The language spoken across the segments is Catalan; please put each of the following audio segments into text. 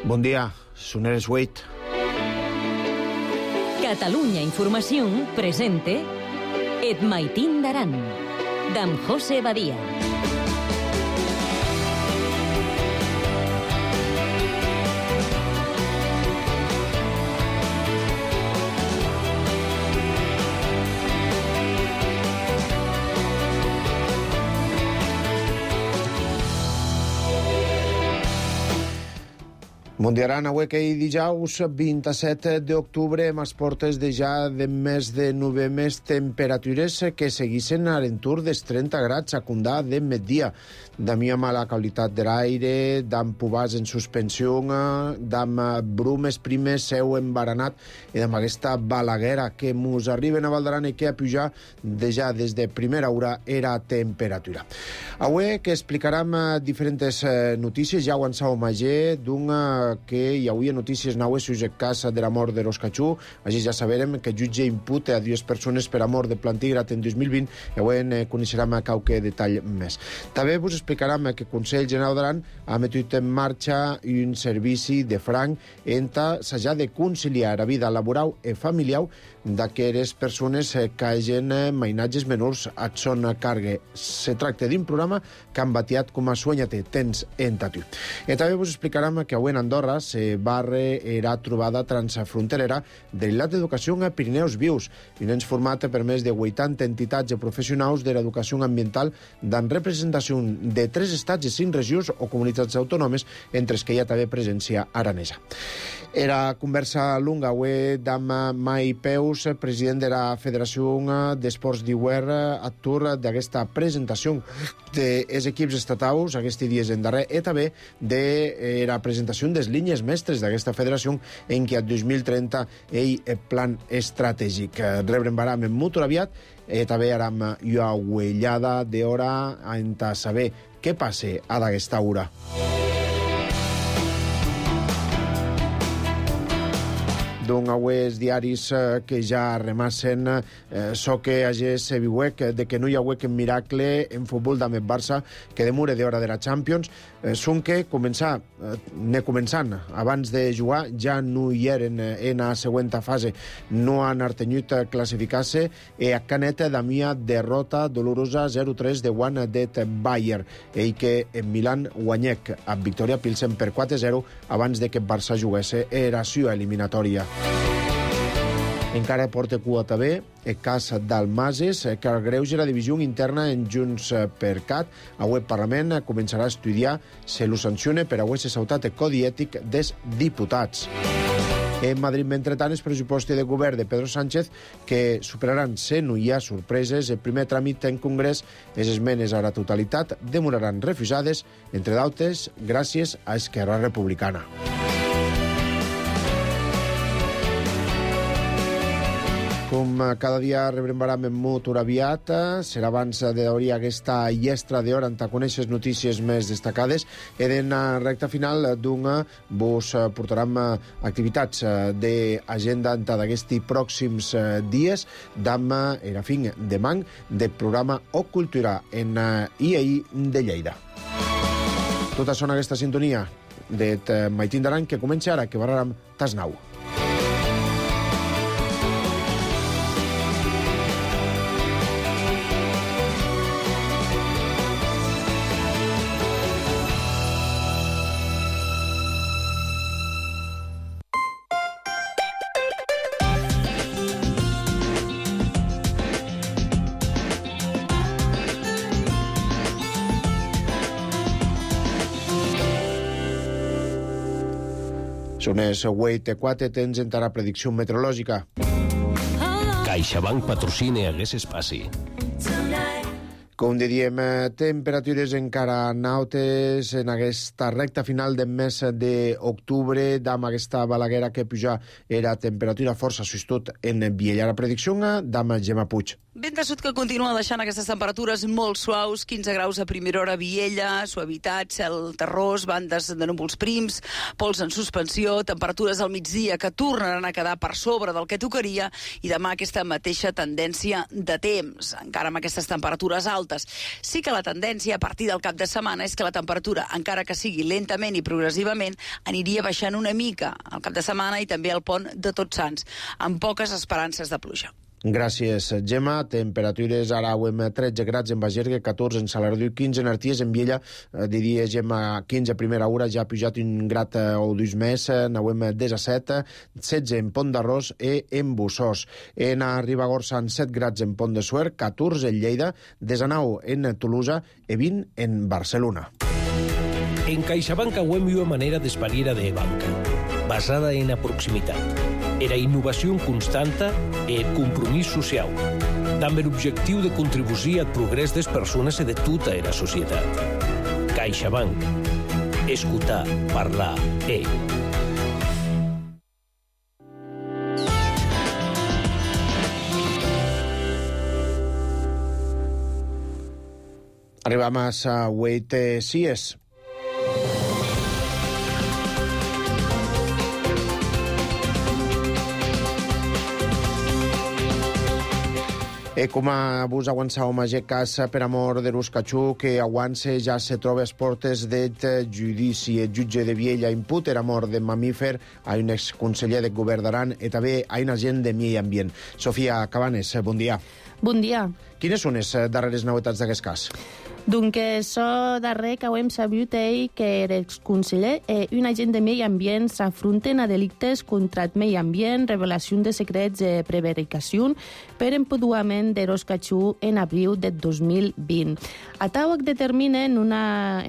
Bon dia, Soneres 8. Catalunya Información presente Et Maitín d'Aran, d'en José Badia. Mundiaran avui que dijous 27 d'octubre amb les portes de ja de més de 9 més temperatures que seguissin a l'entorn dels 30 grads a Condà de migdia. Damia mala qualitat de l'aire, d'am pubars en suspensió, d'am brumes primes, seu embaranat i d'am aquesta balaguera que mos arriben a Valdaran i que a pujar de ja des de primera hora era temperatura. Avui que explicarem diferents notícies, ja ho en sau magè, d'una que hi hauria notícies naues sus el cas de la mort de Roscachú. Així ja saberem que el jutge imputa a 2 persones per a mort de plantígrat en 2020 i avui coneixerem qualque detall més. També vos explicarem que el Consell General d'Aran ha metut en marxa un servici de franc entre s'ha de conciliar la vida laboral i familiar d'aquelles persones que hagin mainatges menors a son càrrega. Se tracta d'un programa que han batiat com a Sueñate, tens entatiu. I també vos explicarem que avui en Andorra se barre era trobada transfronterera de l'Ilat d'Educació a Pirineus Vius, un ens format per més de 80 entitats professionals de l'educació ambiental d'en representació de 3 estats i 5 regions o comunitats autònomes, entre els que hi ha també presència aranesa. Era conversa lunga avui d'am Mai Peus, president de la Federació d'Esports d'Iuer, actor d'aquesta presentació dels equips estatals aquests dies en darrer, i també de la presentació des línies mestres d'aquesta federació en què a 2030 ell plan estratègic. Rebrem baram en molt aviat i també aram una uellada d'hora a saber què passa a d'aquesta hora. D'un aues diaris que ja remassen so que hagés viuec de que no hi ha huec en miracle en futbol d'Amet Barça que demure d'hora de la Champions són que començant abans de jugar ja no hi eren en la següent fase, no han artenyut classificar-se i a Canet d'amia derrota dolorosa 0-3 de Juan det Bayer i que en Milan guanyec a Victoria Pilsen per 4-0 abans de que Barça juguesse era sua eliminatòria. Encara porta cua també el cas d'Almases, que agreuja la divisió interna en Junts per Cat. Avui el Parlament començarà a estudiar si lo sanciona per haver-se saltat el codi ètic dels diputats. En Madrid, mentrestant, el pressupost de govern de Pedro Sánchez que superaran, si no hi ha sorpreses, el primer tràmit en Congrés. Les esmenes a la totalitat demoraran refusades, entre d'altres, gràcies a Esquerra Republicana. Com cada dia rebrem baram en molt aviat, serà abans d'hauria aquesta llestra d'hora en conèixer notícies més destacades. I en la recta final d'una vos portarem activitats d'agenda d'aquests pròxims dies d'amma era fin de man del programa O Cultura en IAI de Lleida. Tota sona aquesta sintonia de Maitín d'Aran que comença ara, que barrarem Tasnau. Són els 8:04, temps en la predicció meteorològica. CaixaBank patrocina Hagués Espaci. Com diríem, temperatures encara nautes en aquesta recta final del mes d'octubre, amb aquesta balaguera que puja era temperatura força sustot en Viella. La predicció d'ama Gemma Puig. Vent de sud que continua deixant aquestes temperatures molt suaus, 15 graus a primera hora a Viella, suavitat, cel terrós, bandes de núvols prims, pols en suspensió, temperatures al migdia que tornaran a quedar per sobre del que tocaria i demà aquesta mateixa tendència de temps. Encara amb aquestes temperatures altes altes. Sí que la tendència a partir del cap de setmana és que la temperatura, encara que sigui lentament i progressivament, aniria baixant una mica al cap de setmana i també al pont de Tots Sants, amb poques esperances de pluja. Gràcies, Gemma. Temperatures ara ho hem 13 grads en Bagergue, 14 en Salardú, 15 en Arties, en Viella, diria Gemma, 15 a primera hora, ja ha pujat un grat o dos més, n'hem 17, 16 en Pont d'Arròs i en Bussós. En Ribagorça, 7 grads en Pont de Suert, 14 en Lleida, 19 en Tolosa i 20 en Barcelona. En CaixaBank auem una manera d'espariera de banca, basada en la proximitat. Era innovació constanta e compromís social, amb l'objectiu de contribuir al progrés de les persones i de tota la societat. CaixaBank. Escoltar, parlar, Arribam a Wait Sies. Com vos avançàvem a cas per amor de Ruscachú, que avança ja se troba a les portes del judici. El jutge de Viella imputa per amor de mamífer a un exconseller del govern d'Aran i també a un agent de Medi Ambient. Sofia Cabanes, bon dia. Bon dia. Quines són les darreres novetats d'aquest cas? Donc, això darrer que hem sabut que l'exconseller i un agent de Medi Ambient s'afronten a delictes contra el medi ambient, revelació de secrets i prevaricació per empeduament de Ruscachú en abril del 2020. A Tauac determina en una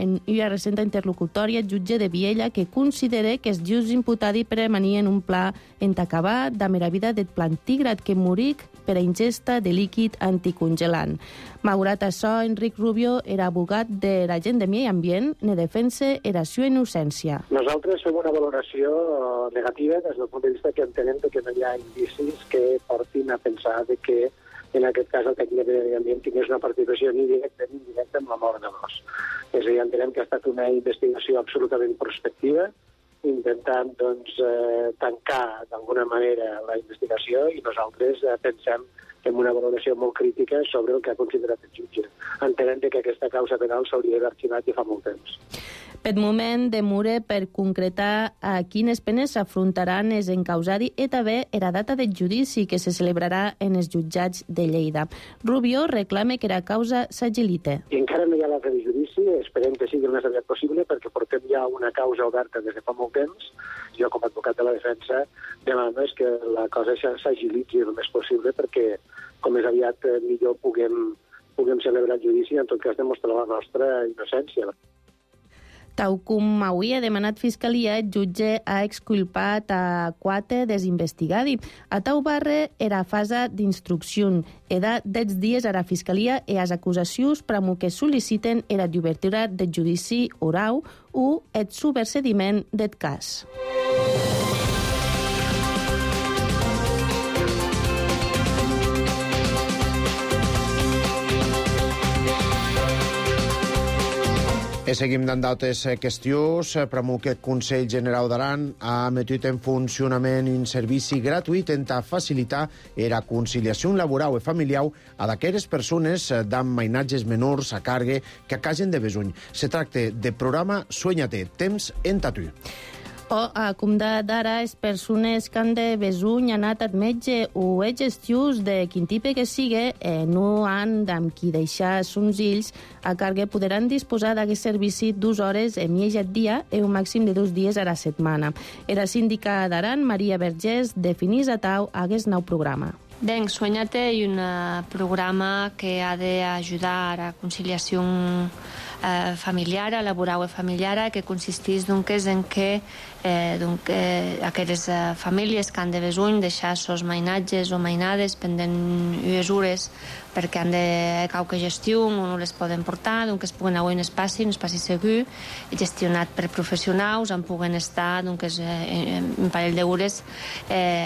recent interlocutòria el jutge de Viella que considera que els just imputats premanien un pla entacabar de la vida del plantígrad que moric per a ingesta de líquid anticongelant. Malgrat això, Enric Rubio era abogat de l'agent de Medi Ambient, ne defensa era seva innocència. Nosaltres fem una valoració negativa des del punt de vista que entenem que no hi ha indicis que portin a pensar que en aquest cas el tècnic de Medi Ambient tingués una participació ni directa ni indirecta en la mort de l'os. És a dir, entenem que ha estat una investigació absolutament prospectiva, intentant tancar d'alguna manera la investigació, i nosaltres pensem en una valoració molt crítica sobre el que ha considerat el jutge. Entenem que aquesta causa penal s'hauria d'haver arxivat i fa molt temps. Per moment demora per concretar a quines penes s'afrontaran els encausats i també la data del judici que se celebrarà en els jutjats de Lleida. Rubio reclama que la causa s'agilite. I encara no hi ha data de judici, esperem que sigui el més aviat possible perquè portem ja una causa oberta des de fa molt temps. Jo, com a advocat de la defensa, demano que la cosa s'agilitzi el més possible perquè com més aviat millor puguem celebrar el judici i en tot cas demostrar la nostra innocència. Tal com avui ha demanat Fiscalia, el jutge ha exculpat a 4 dels investigats. A Tau Barre era fase d'instrucció. Era 10 dies a la Fiscalia i les acusacions per que sol·liciten era d'obertura del judici oral o el subversediment del cas. Seguim dant d'altres qüestions. Premu que el Consell General d'Aran ha emetit en funcionament un servici gratuït en facilitar la conciliació laboral i familiar a d'aquelles persones amb mainatges menors a càrrega que a casen de besuny. Se tracta de programa Sueñate, temps en tatu. Com d'ara, les persones que han de besuny, anat al metge o gestius de quin tipus que sigui, no han amb qui deixar sons fills a càrrega, podran disposar d'aquest servici 2 hores en mig dia i un màxim de 2 dies a la setmana. La síndica d'Aran, Maria Vergés, definís a Tau aquest nou programa. Ben, Sueñate és un programa que ha d'ajudar a la conciliació familiar, laboral i familiar, que consisteix en que aquelles famílies que han de besuny deixar sos mainatges o mainades pendent unes hores perquè han de qualque gestió o no les poden portar, que es puguen anar a un espaci segur, gestionat per professionals, on puguen estar un parell d'hores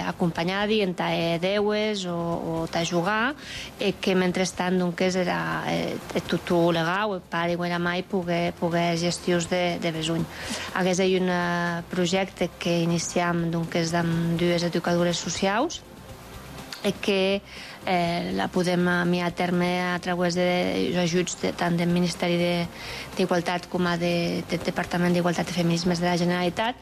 acompanyats en deues o a jugar, que mentrestant era tutor legal, el pare o la mare poder gestions de besuny. Aquest és un projecte que iniciam amb 2 educadores socials que la podem enviar a terme a través dels ajuts tant del Ministeri d'Igualtat com del Departament d'Igualtat i Feminismes de la Generalitat.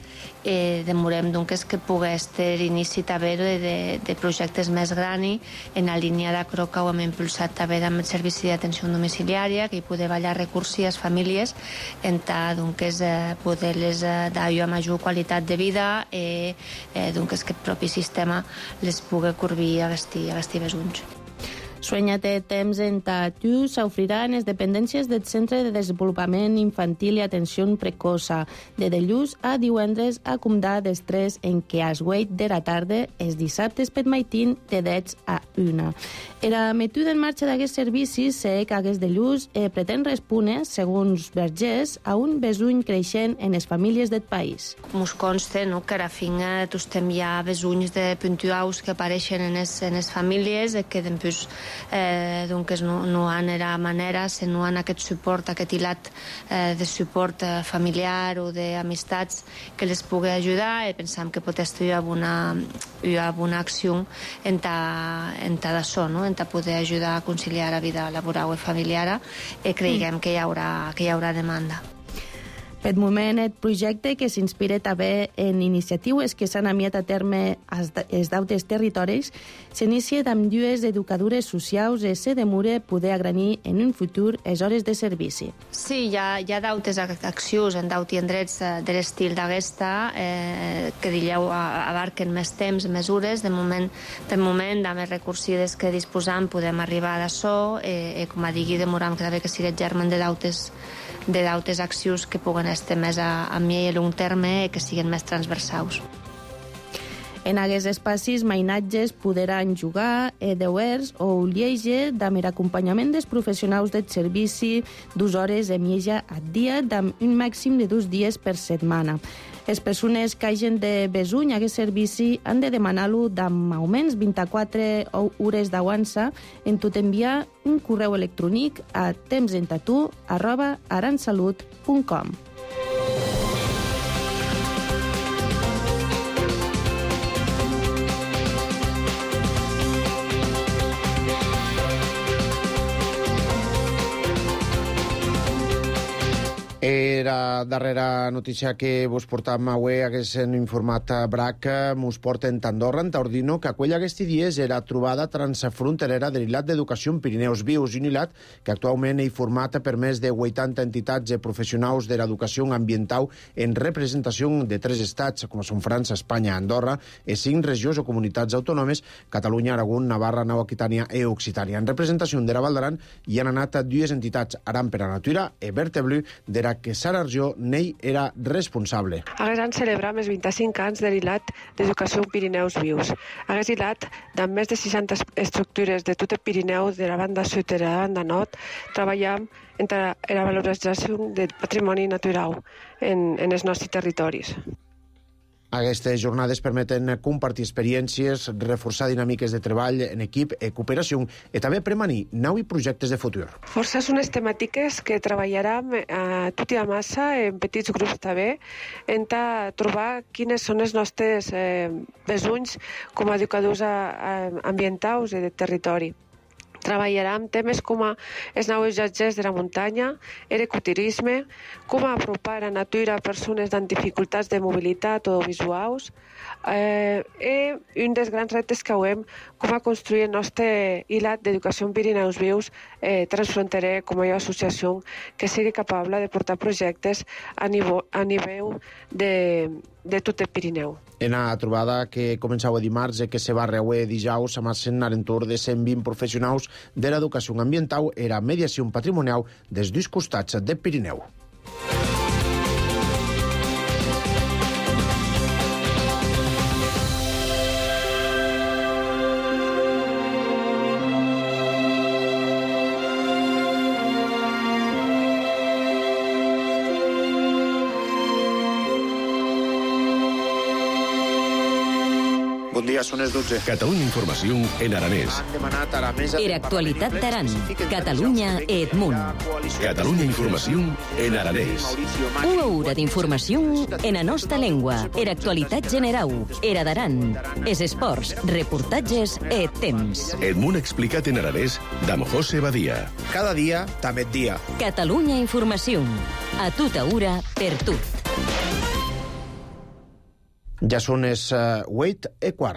Demorem doncs que pogués ter inici també de projectes més grans en la línia d'acro que ho hem impulsat també amb el Servici d'Atenció Domiciliària, que hi poder ballar recursos a les famílies en poder-les dar a major qualitat de vida i que el propi sistema les pugui corbir a vestir besons. Sueña té temps en tu s'ofrirà en les dependències del Centre de Desenvolupament Infantil i Atenció Precoça de dilluns a divendres a comptar dels 3 en què es weit de la tarda els dissabtes per maitín de 10 a 1. La metuda en marxa d'aquests servicis que aquest dilluns pretén respondre, segons Vergés, a un besuny creixent en les famílies del país. Ens consta que a la finca hi ha besunys de puntuals que apareixen en les famílies que després no han era manera, no han aquest suport, aquest hilat de suport familiar o d'amistats que les pugui ajudar i pensam que pot estar una acció en d'això, en poder ajudar a conciliar la vida laboral i familiar i creiem que hi haurà demanda. Per moment, el projecte, que s'inspira també en iniciatives que s'han enviat a terme als d'altres territoris, s'inicia amb 2 educadores socials i se demora poder agranir en un futur les hores de servici. Sí, hi ha d'altres accions en d'altres indrets de l'estil d'aquesta que abarquen més temps, mesures. De moment, amb els recursos que disposam, podem arribar a d'això i, com a digui, demoram que sigui germen de d'altres accions que puguen estar més a mitjà i a long terme i que siguin més transversals. En aquests espais, mainatges podran jugar, deures o lleige amb l'acompanyament dels professionals del servici 2 hores de mitja al dia, amb un màxim de 2 dies per setmana. Les persones que hagin de besuny a aquest servici han de demanar-lo amb almenys 24 hores d'avança en tot enviar un correu electrònic a tempsentatu@aransalut.com. Era darrera notícia que vos portam avui, haguessin informat a BRAC, mos porten Andorra, en Taordino, que aquella aquests dies era trobada transfronterera de l'Ilat d'Educació en Pirineus Vius, un Ilat que actualment és format per més de 80 entitats i professionals de l'educació ambiental en representació de 3 estats, com són França, Espanya, Andorra, i 5 regions o comunitats autònomes, Catalunya, Aragó, Navarra, Nova Aquitània i Occitània. En representació de la Val d'Aran hi han anat 2 entitats, Aran per a Natura i Verteblu, de la que Sara Arjó n'ell era responsable. Haguessin celebrat els 25 anys de l'Ilat d'Educació en Pirineus Vius. Hagués Ilat, amb més de 60 estructures de tot el Pirineu, de la banda sud i de la banda nord, treballam entre la valorització del patrimoni natural en els nostres territoris. Aquestes jornades permeten compartir experiències, reforçar dinàmiques de treball en equip i cooperació i també premanir nous projectes de futur. Força són les temàtiques que treballarem tot i a massa, en petits grups també, en trobar quines són els nostres besunys com a educadors ambientals i de territori. Treballarem temes com els nous viatgers de la muntanya, l'ecoturisme, com apropar la natura a persones amb dificultats de mobilitat o visuals, i un dels grans reptes que veiem com a construir el nostre Ilat d'Educació en Pirineus Vius transfronterer com a associació que sigui capaç de portar projectes a nivell de tot el Pirineu. En la trobada que començava dimarts i que se va reuer dijous amb a l'entorn de 120 professionals de l'educació ambiental i la mediació patrimonial dels 2 costats del Pirineu. Bon dia, són les 12. Catalunya Informació en aranès. Han demanat a la mesa... Era actualitat d'Aran. Catalunya Edmunt. Catalunya Informació en aranès. Una hora d'informació en la nostra llengua. Era actualitat general. Era d'Aran. Es esports, reportatges et temps. Edmunt explicat en aranès d'en José Badia. Cada dia, també dia. Catalunya Informació. A tota hora, per tot. Ja són les 8:15.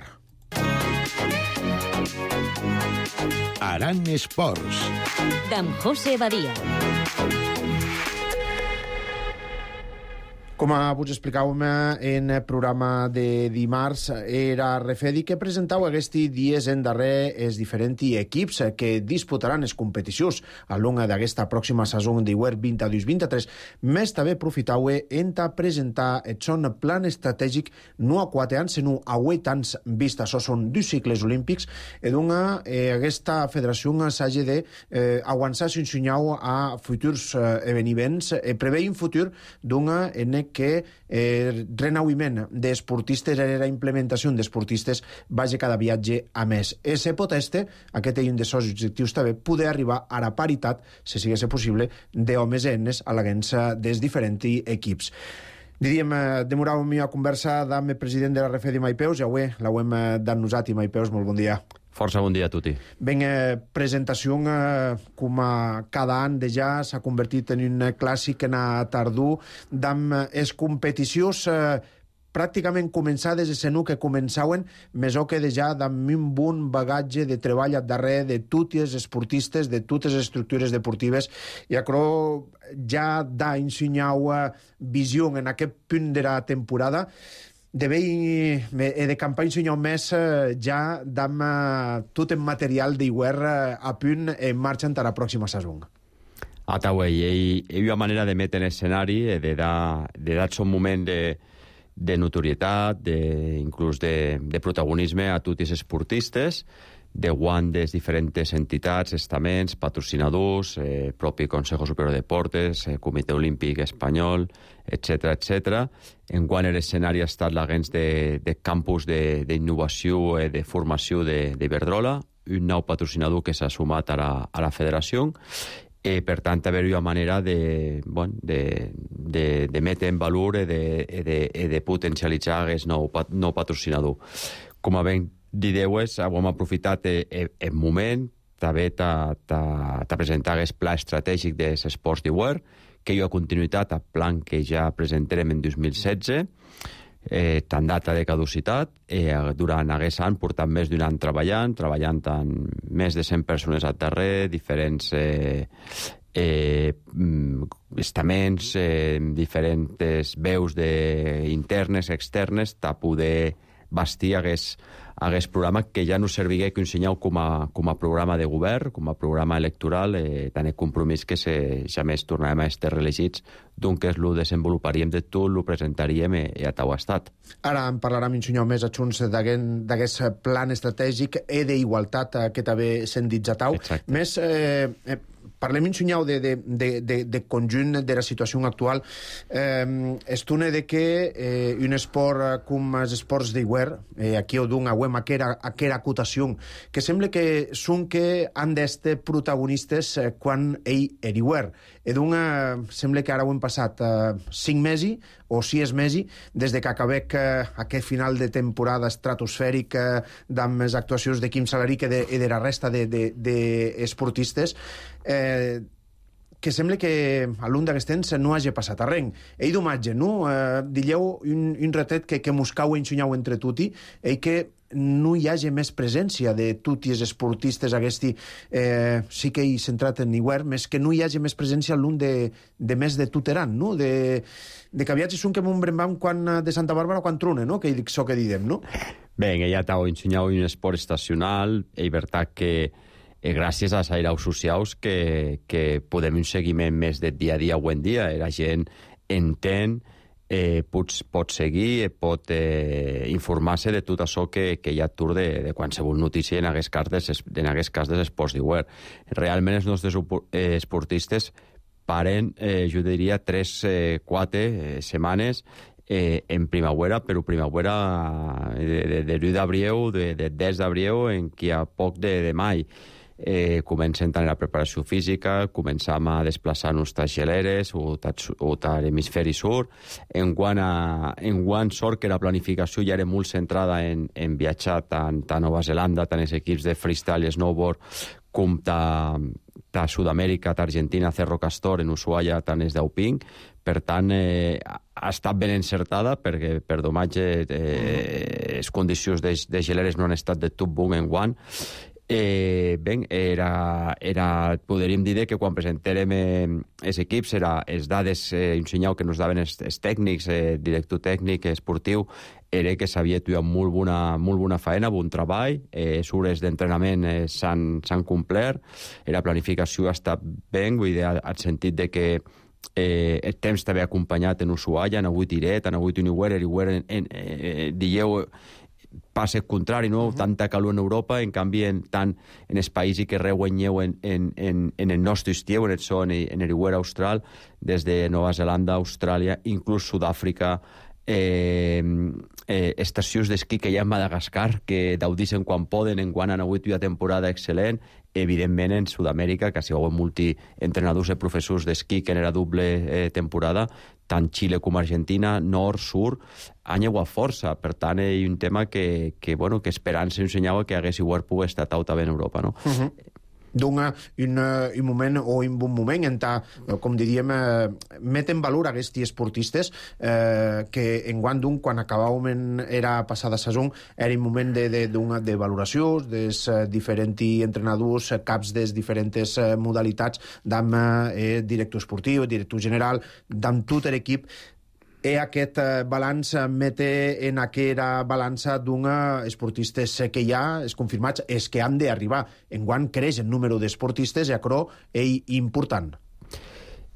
Aran Esports. D'en José Badia. Com vos explicàvem en el programa de dimarts, era Refedi que presentau aquests dies en darrer els diferents equips que disputaran les competicions a lo longo d'aquesta pròxima saison d'Iwer 22-23. Més també aprofitau en presentar el son plan estratègic no a 4 anys, sinó a 8 anys vista. Això són 2 cicles olímpics i aquesta federació s'hagi d'avançar s'ensenyau a futurs esdeveniments. Prevé un futur en que renauiment d'esportistes i la implementació d'esportistes vagi cada viatge a més. Se pot aquest és un dels seus objectius també, poder arribar a la paritat, si sigués possible, d'homes i nenes a la gens dels diferents equips. Diríem, demoràvem a conversa amb el president de la Refedi Maipeus, i avui l'hem dat nosaltres, Maipeus, molt bon dia. Força bon dia a tutti. Ben, presentació com cada any de ja s'ha convertit en un clàssic en a tardor d'amb les competicions pràcticament començades de senú que començaven, més o que de ja d'amb un bon bagatge de treball a darrere de tots els esportistes, de totes les estructures deportives, i acro ja da ensenyau visió en aquest punt de la temporada de campanya ensenyau més ja d'amb tot el material d'Iwer a punt en marxa a la pròxima saison. Hi ha una manera de metre en escenari, de dar son moment de notorietat, inclús de protagonisme a tots els esportistes, de guant de diferents entitats, estaments, patrocinadors, propi Consejo Superior de Deportes, Comitè Olímpic Espanyol, etc. En quant a l'escenari ha estat l'agents de campus d'innovació i de formació d'Iberdrola, un nou patrocinador que s'ha sumat a la federació, i per tant haver-hi una manera de metre en valor i de potencialitzar aquest nou patrocinador. Com a ben dideues, hem aprofitat el moment també de presentar aquest pla estratègic dels esports d'Iwer, que hi ha continuïtat al plan que ja presentarem en 2016, tant data de caducitat. Durant aquest any portem més d'un any treballant amb més de 100 persones al darrere, diferents estaments, diferents veus internes, externes, de poder bastir aquest programa que ja no servigué que ensenyeu com a programa de govern, com a programa electoral, tant el compromís que ja més tornarem a estar reelegits, doncs lo desenvoluparíem de tot, lo presentaríem i a tau estat. Ara en parlarem ensenyeu més a junts d'aquest plan estratègic i d'igualtat que també s'han dit a tau. Més parlem ensenyeu de conjunt de la situació actual. Estune de que un esport com els esports d'Iwer, aquí ho dono a aquella acotació, que sembla que són que han d'estar protagonistes quan ell era Iwer. Sembla que ara ho hem passat 5 mesos o 6 mesos des que acabem aquest final de temporada estratosfèric amb les actuacions de Quim Salaric i de la resta d'esportistes, que sembla que a l'un d'aquests temps no hagi passat a res. Ell d'imatge, no? Dilleu un retret que moscau i ensenyau entre tutti, i que no hi hagi més presència de tots els esportistes aquesti, sí que he centrat en Iwer, més que no hi hagi més presència l'un de més de tuteran, no? De que viatges són que m'un brembam de Santa Bàrbara quan trone, no? Que això que didem, no? Bé, ja t'ho ensenyau un esport estacional, és veritat que gràcies a les airaus socials que podem un seguiment més de dia a dia o en dia. La gent entén, pot seguir, pot informar-se de tot això que hi ha atur de qualsevol notícia en aquest cas dels esports d'Iwer. Realment els nostres esportistes paren, jo diria, 3-4 setmanes en primavera, però primavera de l'1 d'abril, de 10 d'abril, en qui a poc de mai. Comencem tant la preparació física, començam a desplaçar-nos tas geleres o a l'hemisferi sud. Enguany sort que la planificació ja era molt centrada en viatjar tant a Nova Zelanda, tant els equips de freestyle i snowboard, com a Sud-amèrica, d'Argentina, Cerro Castor, en Ushuaia, tant és d'Auping. Per tant, ha estat ben encertada, perquè per domatge les condicions de geleres no han estat de tot bon enguany. Podríem dir que quan presentèrem els equips, les dades ensenyau que ens daven els tècnics, director tècnic, esportiu, era que s'havia tuat molt bona feina, bon treball, les hores d'entrenament s'han complert, la planificació ha estat ben, vull dir, al sentit de que el temps t'havia acompanyat en Ushuaia, han hagut Iret, han hagut Uniware, dieu passa el contrari, no? Tanta calor en Europa, en canvi, tant en els països que reguanyeu en el nostre estiu, en el Iwer austral, des de Nova Zelanda, Austràlia, inclús Sud-àfrica, estacions d'esquí que hi ha a Madagascar, que daudixen quan poden, enguany han hagut una temporada excel·lent, evidentment en Sud-amèrica, que si hi ha multientrenadors i professors d'esquí que en era doble temporada, tant Xile com Argentina, nord, sud, han llevat força. Per tant, hi ha un tema que esperant s'ensenyava que hagués igual pogut estar també en Europa, no? Un moment o un bon moment en com diríem, met en valor aquests esportistes que enguany quan acabàvem era passada saison, era un moment de valoració dels diferents entrenadors, caps de diferents modalitats, d'am director esportiu, director general, d'am tot l'equip. Aquest balanç mete en aquella balança d'una esportistes que hi ha, els confirmats, els que han d'arribar. Enguany creix el número d'esportistes i això és important.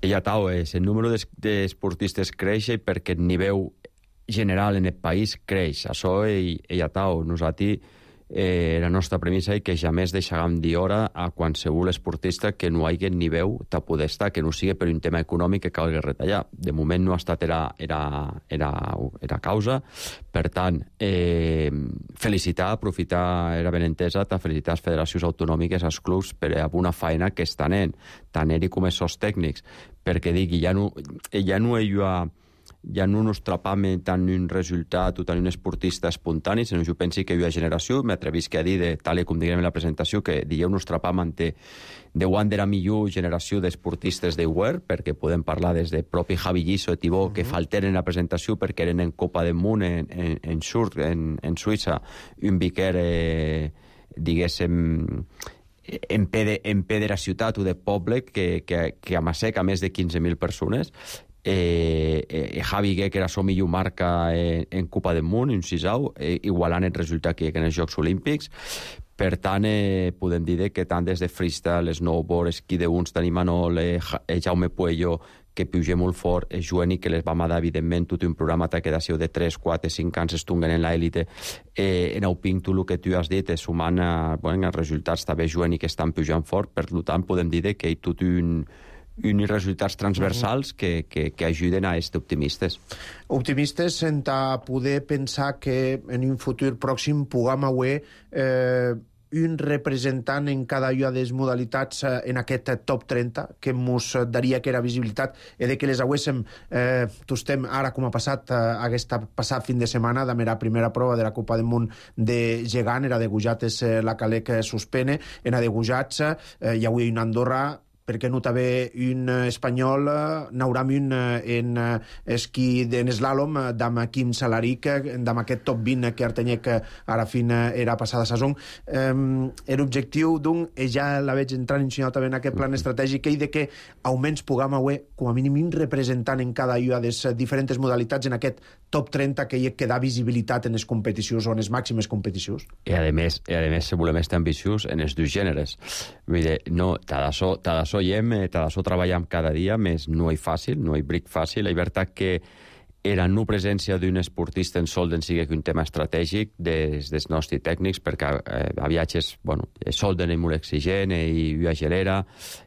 El número d'esportistes creix perquè el nivell general en el país creix. Això és nosaltres la nostra premissa és que jamais deixarem dir hora a qualsevol esportista que no hi hagi nivell de poder estar, que no sigui per un tema econòmic que calgui retallar. De moment no ha estat era causa. Per tant, felicitar, aprofitar era ben entesa, felicitar les federacions autonòmiques, els clubs, per a una feina que estan tant ell com els seus tècnics, perquè digui, ja no ens trapam tant un resultat o tant un esportista espontani, sinó jo pensi que hi ha generació, m'atrevisc a dir, tal com diguem en la presentació, que dieu nos trapam ante de quan era millor generació d'esportistes d'Iwer, perquè podem parlar des de propi Javi Giso i Tibó, que falteren en la presentació perquè eren en Copa del Món en Suïssa, un viquer, diguéssim, en pe de la ciutat o de poble que amasseca més de 15.000 persones. Javi Gué, que era la millor marca en Copa del Món, un sisau, igualant el resultat que en els Jocs Olímpics. Per tant, podem dir que tant des de freestyle, snowboard, esquí de uns, tenim Manol, Jaume Puello, que puja molt fort, Joani, que les vam dar, evidentment, tot un programa que d'ació de 3, 4, 5 anys estunguen en l'élite. En Auping, tu el que tu has dit, sumant els resultats, també Joani, que estan pujant fort, per tant, podem dir que hi ha tot uns resultats transversals que ajuden a estar optimistes. Optimistes en poder pensar que en un futur pròxim puguem haver un representant en cada una de les modalitats en aquest top 30 que ens daria que era visibilitat i de que les haguéssim tostem ara com ha passat aquest passat fin de setmana de la primera prova de la Copa del Món de gegant, era de Gujates la Calec suspene, en a de Gujats hi ha avui una Andorra, perquè no també un espanyol, n'hauram un en esquí en eslàlom, d'am Quim Salaric, d'am aquest top 20 que Artenyec ara fin era passada saison. L'objectiu d'un, ja la veig entrant ensenyat també en aquest plan estratègic, i de que almenys puguem haver com a mínim un representant en cada una de les diferents modalitats en aquest top 30 que hi ha que da visibilitat en les competicions o en les màximes competicions. I a més, si volem estar ambiciós en els dos gèneres. Vull dir, no, d'això treballem cada dia, més no és fàcil, no és bric fàcil. La veritat que era no presència d'un esportista en solden sigui un tema estratègic des nostres tècnics, perquè a viatges, solden és molt exigent i una gelera,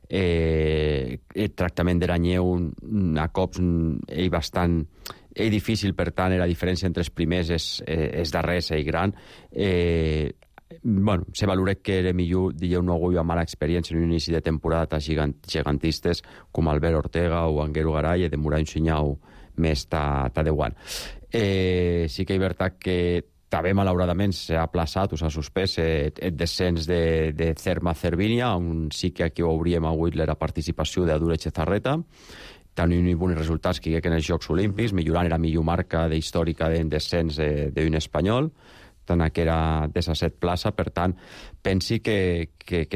el tractament de la neu a cops és bastant difícil, per tant, la diferència entre els primers és darrers i gran. Se valora que era millor, no ha hagut mala experiència en un inici de temporada gigantistes com Albert Ortega o Anguero Garay, i demorar un senyal més ta de guant. Sí que és veritat que també, malauradament, s'ha aplaçat o s'ha suspès el descens de Cerma Cervinia, on sí que aquí hauríem hagut la participació d'Adure Chezarreta, tenint bons resultats que en els Jocs Olímpics, millorant la millor marca històrica de descens d'un espanyol, tant que era 17 plaça. Per tant, pensi que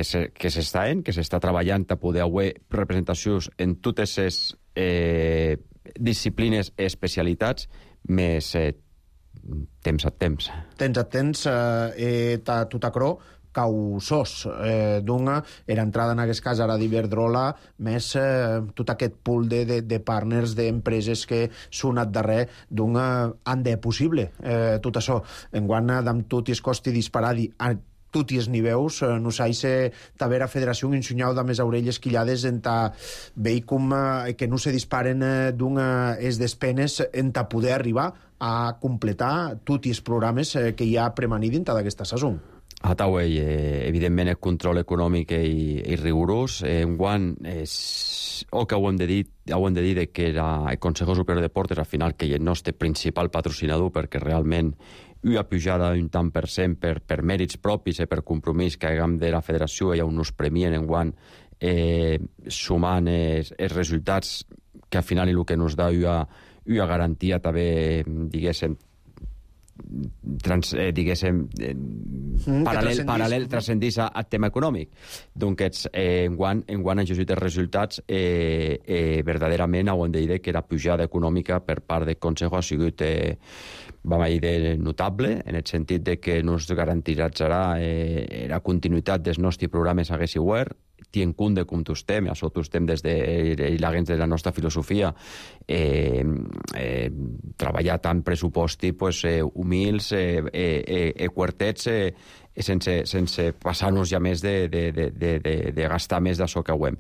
s'està treballant a poder haver representacions en totes les disciplines i especialitats, més temps a temps. Temps a temps, tot acrò, causós. D'una, era entrada en aquest cas ara d'Iberdrola, més tot aquest pool de partners, d'empreses que són al darrer d'una han de possible. Tot això, enguany, amb tot i es costi disparar tot i els niveus, no s'ha d'haver a federació un ensunyau de més orelles quillades en ta veig com que no se disparen d'una es despenes en ta poder arribar a completar tots els programes que hi ha premanit dintre d'aquesta saison. Evidentment, el control econòmic és rigorós. Enguany, o que ho hem de dir que el Consejo Superior de Deportes, al final, que és el nostre principal patrocinador, perquè realment una pujada d'un tant per cent per mèrits propis i per compromís que haguem de la federació, i on nos premien enguany sumant els resultats, que al final és el que nos da una garantia també, diguéssim, paral·lel transcendís al tema econòmic. Doncs enguany han llegit els resultats, verdaderament ho hem de dir que la pujada econòmica per part del Consejo ha sigut notable, en el sentit de que nos garantirà la continuïtat dels nostres programes a Gesiware, tien compte de com tostem, això tostem des de la nostra filosofia, treballar tant pressuposti humils, quartets, sense passar-nos ja més de gastar més d'això que ho hem.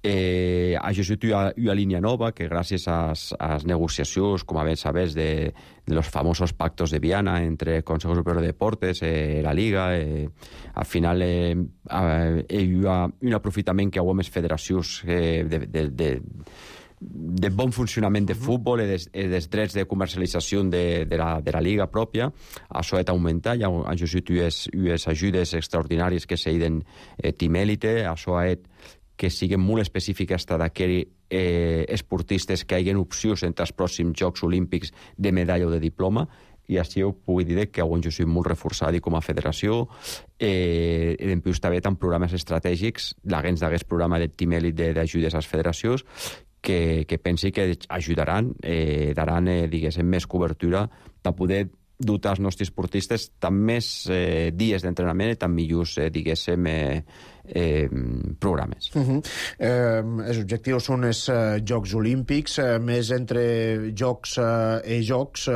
Ha llegit una línia nova que gràcies a les negociacions, com ben sabés, de los famosos pactos de Viana entre el Consejo Superior de Deportes i la Liga, al final hi ha un aprofitament que ho hem les federacions de bon funcionament de futbol i dels drets de comercialització de la Liga pròpia. Això ha d'augmentar. Hi ha llegit unes ajudes extraordinàries que s'han Team Elite. Això ha que siguin molt específiques d'aquells esportistes que hagin opcions entre els pròxims Jocs Olímpics de medalla o de diploma, i així ho puc dir que ho hem sigut molt reforçat com a federació. En plus, també tant programes estratègics, l'agents d'aquest programa de Team Elite d'ajudes a les federacions, que pensi que ajudaran, daran, diguéssim, més cobertura per poder dotar els nostres esportistes tant més dies d'entrenament i tant millors, diguéssim, programes. Els objectius són els Jocs Olímpics, més entre jocs i jocs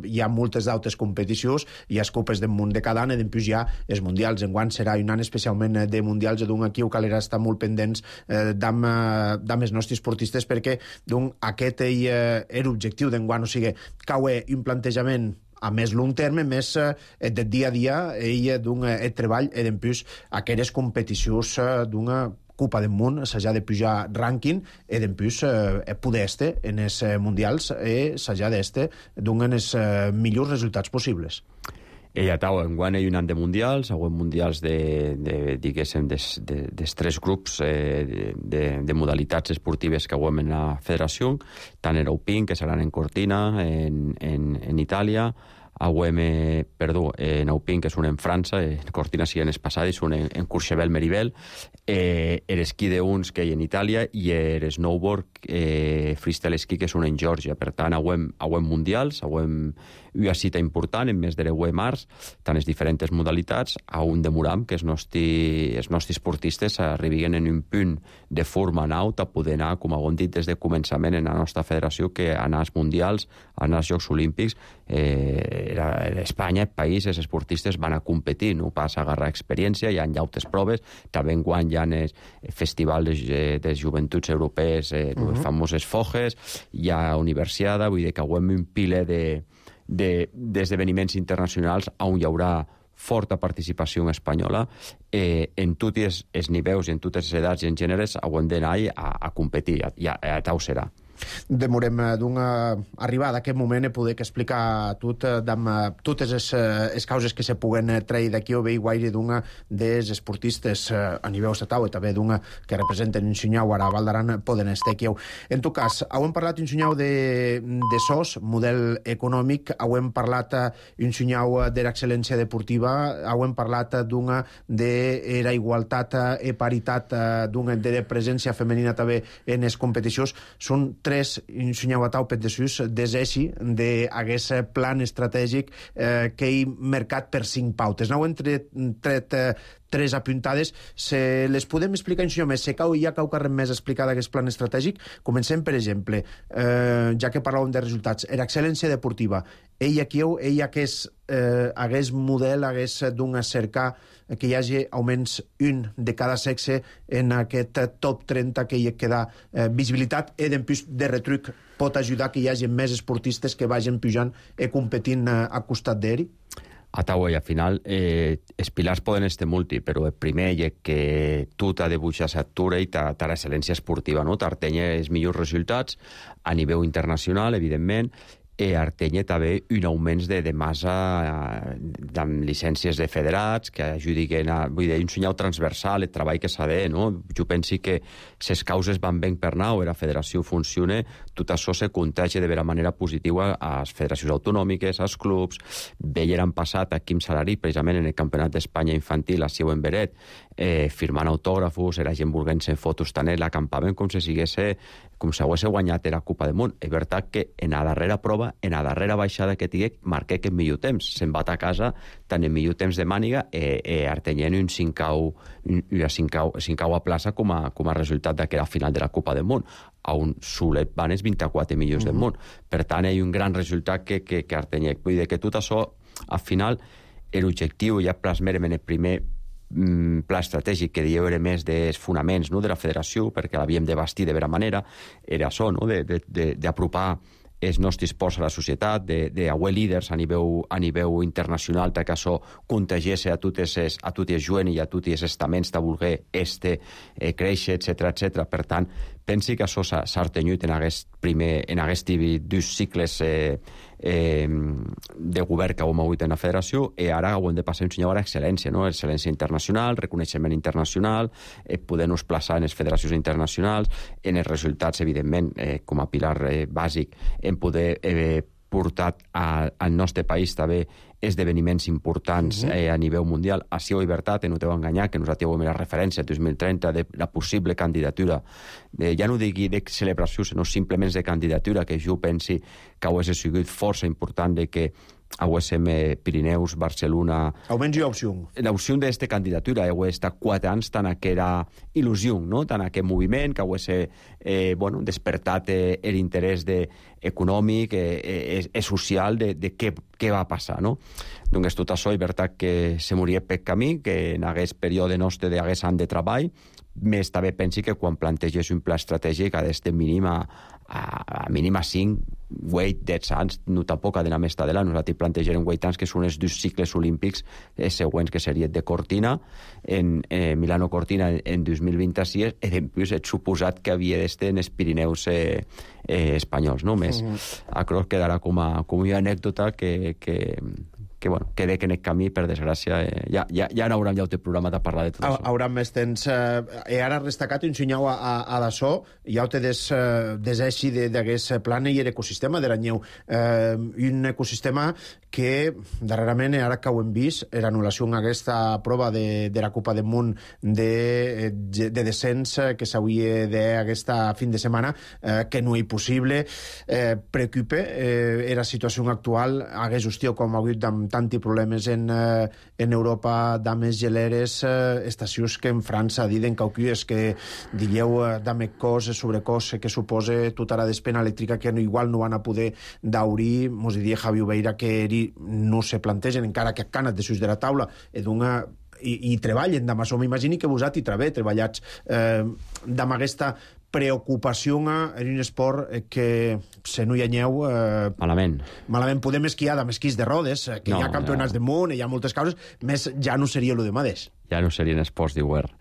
hi ha moltes d'altres competicions, hi ha les copes del món de cada any, i després hi ha els mundials. Enguany serà un any especialment de mundials, d'un aquí ho calera estar molt pendents d'amb els nostres esportistes, perquè aquest era l'objectiu d'enguany, o sigui, cau un plantejament a més long terme, més de dia a dia, el treball i després aquelles competicions d'una Copa del Món, s'ha de pujar rànquing i després poder estar en els mundials i s'ha d'estar donant els millors resultats possibles. Enguany hi ha un any de mundials, mundials diguéssim, dels tres grups de modalitats esportives que ho hem en la federació, tant en Eupin, que seran en Cortina, en Itàlia, Naupin, que és un en França, Cortina sí en Espassada, és un en Courchevel-Meribel, esquí de uns que hi en Itàlia, i snowboard, freestyle ski, que és un en Geòrgia. Per tant, auem mundials, auem una cita important en mes de 10 de març, tant les diferents modalitats, a un demoram que els nostres esportistes arribin en un punt de forma naut a poder anar, com hem dit des de començament en la nostra federació, que anar als mundials, anar als Jocs Olímpics, Espanya, el país, els esportistes van a competir, no pas a agarrar experiència, hi ha llautes proves, també enguany hi ha el Festival de Joventuts Europees, les famoses Foges, hi ha Universiada, vull dir que auem un piler d'esdeveniments internacionals on hi haurà forta participació espanyola en tots els nivells i en totes les edats i en gèneres haurem d'anar a competir, i a tau serà. Demorem d'una arribada a aquest moment e poder explicar totes les causes que se puguen treure d'aquí o bé guaire d'una dels esportistes a nivell estatal i també d'una que representen un senyau ara a Val d'Aran poden estar aquí. En tot cas, hem parlat un senyau de SOS, model econòmic, hem parlat un senyau de l'excel·lència deportiva, hem parlat d'una de la igualtat i paritat, d'una de presència femenina també en les competicions. Són tres insunyau pet de sus deseixi d'aguest plan estratègic que he mercat per 5 pautes. N'heu tret tres apuntades. Se les podem explicar en més? Se cau i ja cau carrer més explicar d'aquest plan estratègic. Comencem, per exemple, ja que parlàvem de resultats, era excel·lència deportiva. Ell hagués model, hagués d'un cercar que hi hagi almenys un de cada sexe en aquest top 30 que hi queda visibilitat i d'empús de retruc pot ajudar que hi hagi més esportistes que vagin pujant i competint a costat d'ell? A Tauer, al final, els pilars poden estar multi, però el primer és que tu t'ha de buixar l'altura i t'ha l'excel·lència esportiva, no? T'artenya els millors resultats a nivell internacional, evidentment, i artenya també un augment de massa amb llicències de federats que ajudin a... Vull dir, un senyal transversal, el treball que s'ha de, no? Jo penso que les causes van ben per nau, la federació funciona, tot això se contagia de vera manera positiva a les federacions autonòmiques, als clubs. Veien han passat a Quim Salari, precisament en el Campionat d'Espanya infantil, a Sieu en Beret, firmant autògrafos, la gent volent-se fotos tant l'acampaven com si hagués guanyat la Copa del Món. És veritat que en la darrera prova, en la darrera baixada que tingué, marqué que millor temps. Se'n va a casa tant en millor temps de màniga artenyent una cincaua plaça com a resultat d'aquella final de la Copa del Món, on Solet van els 24 millors del món. Per tant, hi ha un gran resultat que artenyec. Vull dir que tot això, al final, l'objectiu ja plasmerem en el primer pla estratègic que dieu era més dels fonaments, no?, de la federació, perquè l'havíem de bastir de vera manera, era això, no?, d'apropar els nostres esports a la societat, d'haver líders a nivell internacional, que això contagiés a tots els joves i a tots els estaments de voler créixer, etc. Per tant, pensi que això s'ha artenyut en aquests dos cicles de govern que hem hagut en la federació, i ara ho hem de passar a un senyal a excel·lència, no? Excel·lència internacional, reconeixement internacional, poder-nos plaçar en les federacions internacionals, en els resultats, evidentment, com a pilar bàsic, en poder portar al nostre país també esdeveniments importants a nivell mundial. Així ho veritat, no t'heu enganyat, que nosaltres hem la referència 2030 de la possible candidatura, ja no digui de celebració, sinó simplement de candidatura, que jo pensi que hauria sigut força important de que haguéssim Pirineus, Barcelona... Almenys hi ha opció. L'opció d'aquesta candidatura hauria estat 4 anys tant aquella il·lusió, no?, tant aquest moviment que hauria despertat l'interès econòmic i social de què va passar, no? Doncs tot això és veritat que se moria per camí, que en aquest període nostre d'aquest any de treball, més també pensi que quan plantegés un pla estratègic ha d'estar mínim a 5, 8, 10 anys, no tampoc ha d'anar més tardela. Nosaltres plantejarem 8 anys, que són els 2 cicles olímpics següents, que serien de Cortina, en Milano-Cortina en 2026, i després he suposat que havia d'estar en els Pirineus espanyols, no? Més, crec que quedarà com una anècdota que dec en aquest camí, per desgràcia, ja n'haurem ja el programa de parlar de tot això. Haurà més temps. E ara destacat un senyau a d'açò, ja ho te deseixi d'aquest plan i l'ecosistema de l'anyeu. Un ecosistema que darrerament, ara que ho hem vist, l'anul·lació en aquesta prova de la Copa del Món de descens que s'hauria d'aquesta fin de setmana, que no és possible, preocupa la situació actual, hagués hòstia com ha hagut amb tanti problemes en Europa, dames geleres, estacions que en França diuen cauquies que digueu dame cos, sobrecos que suposa tota la despena elèctrica que igual no van a poder daurir, mos diria Javi Obeira que no se plantegen encara que canat de sus de la taula i treballen d'amà, m'imagini que vosaltres treballats d'amà aquesta preocupació en un esport que se no hi anyeu malament podem esquiar amb esquís de rodes, que hi ha campionats del món, hi ha moltes causes, més ja no seria el de mateix. Ja no serien esports d'hivern.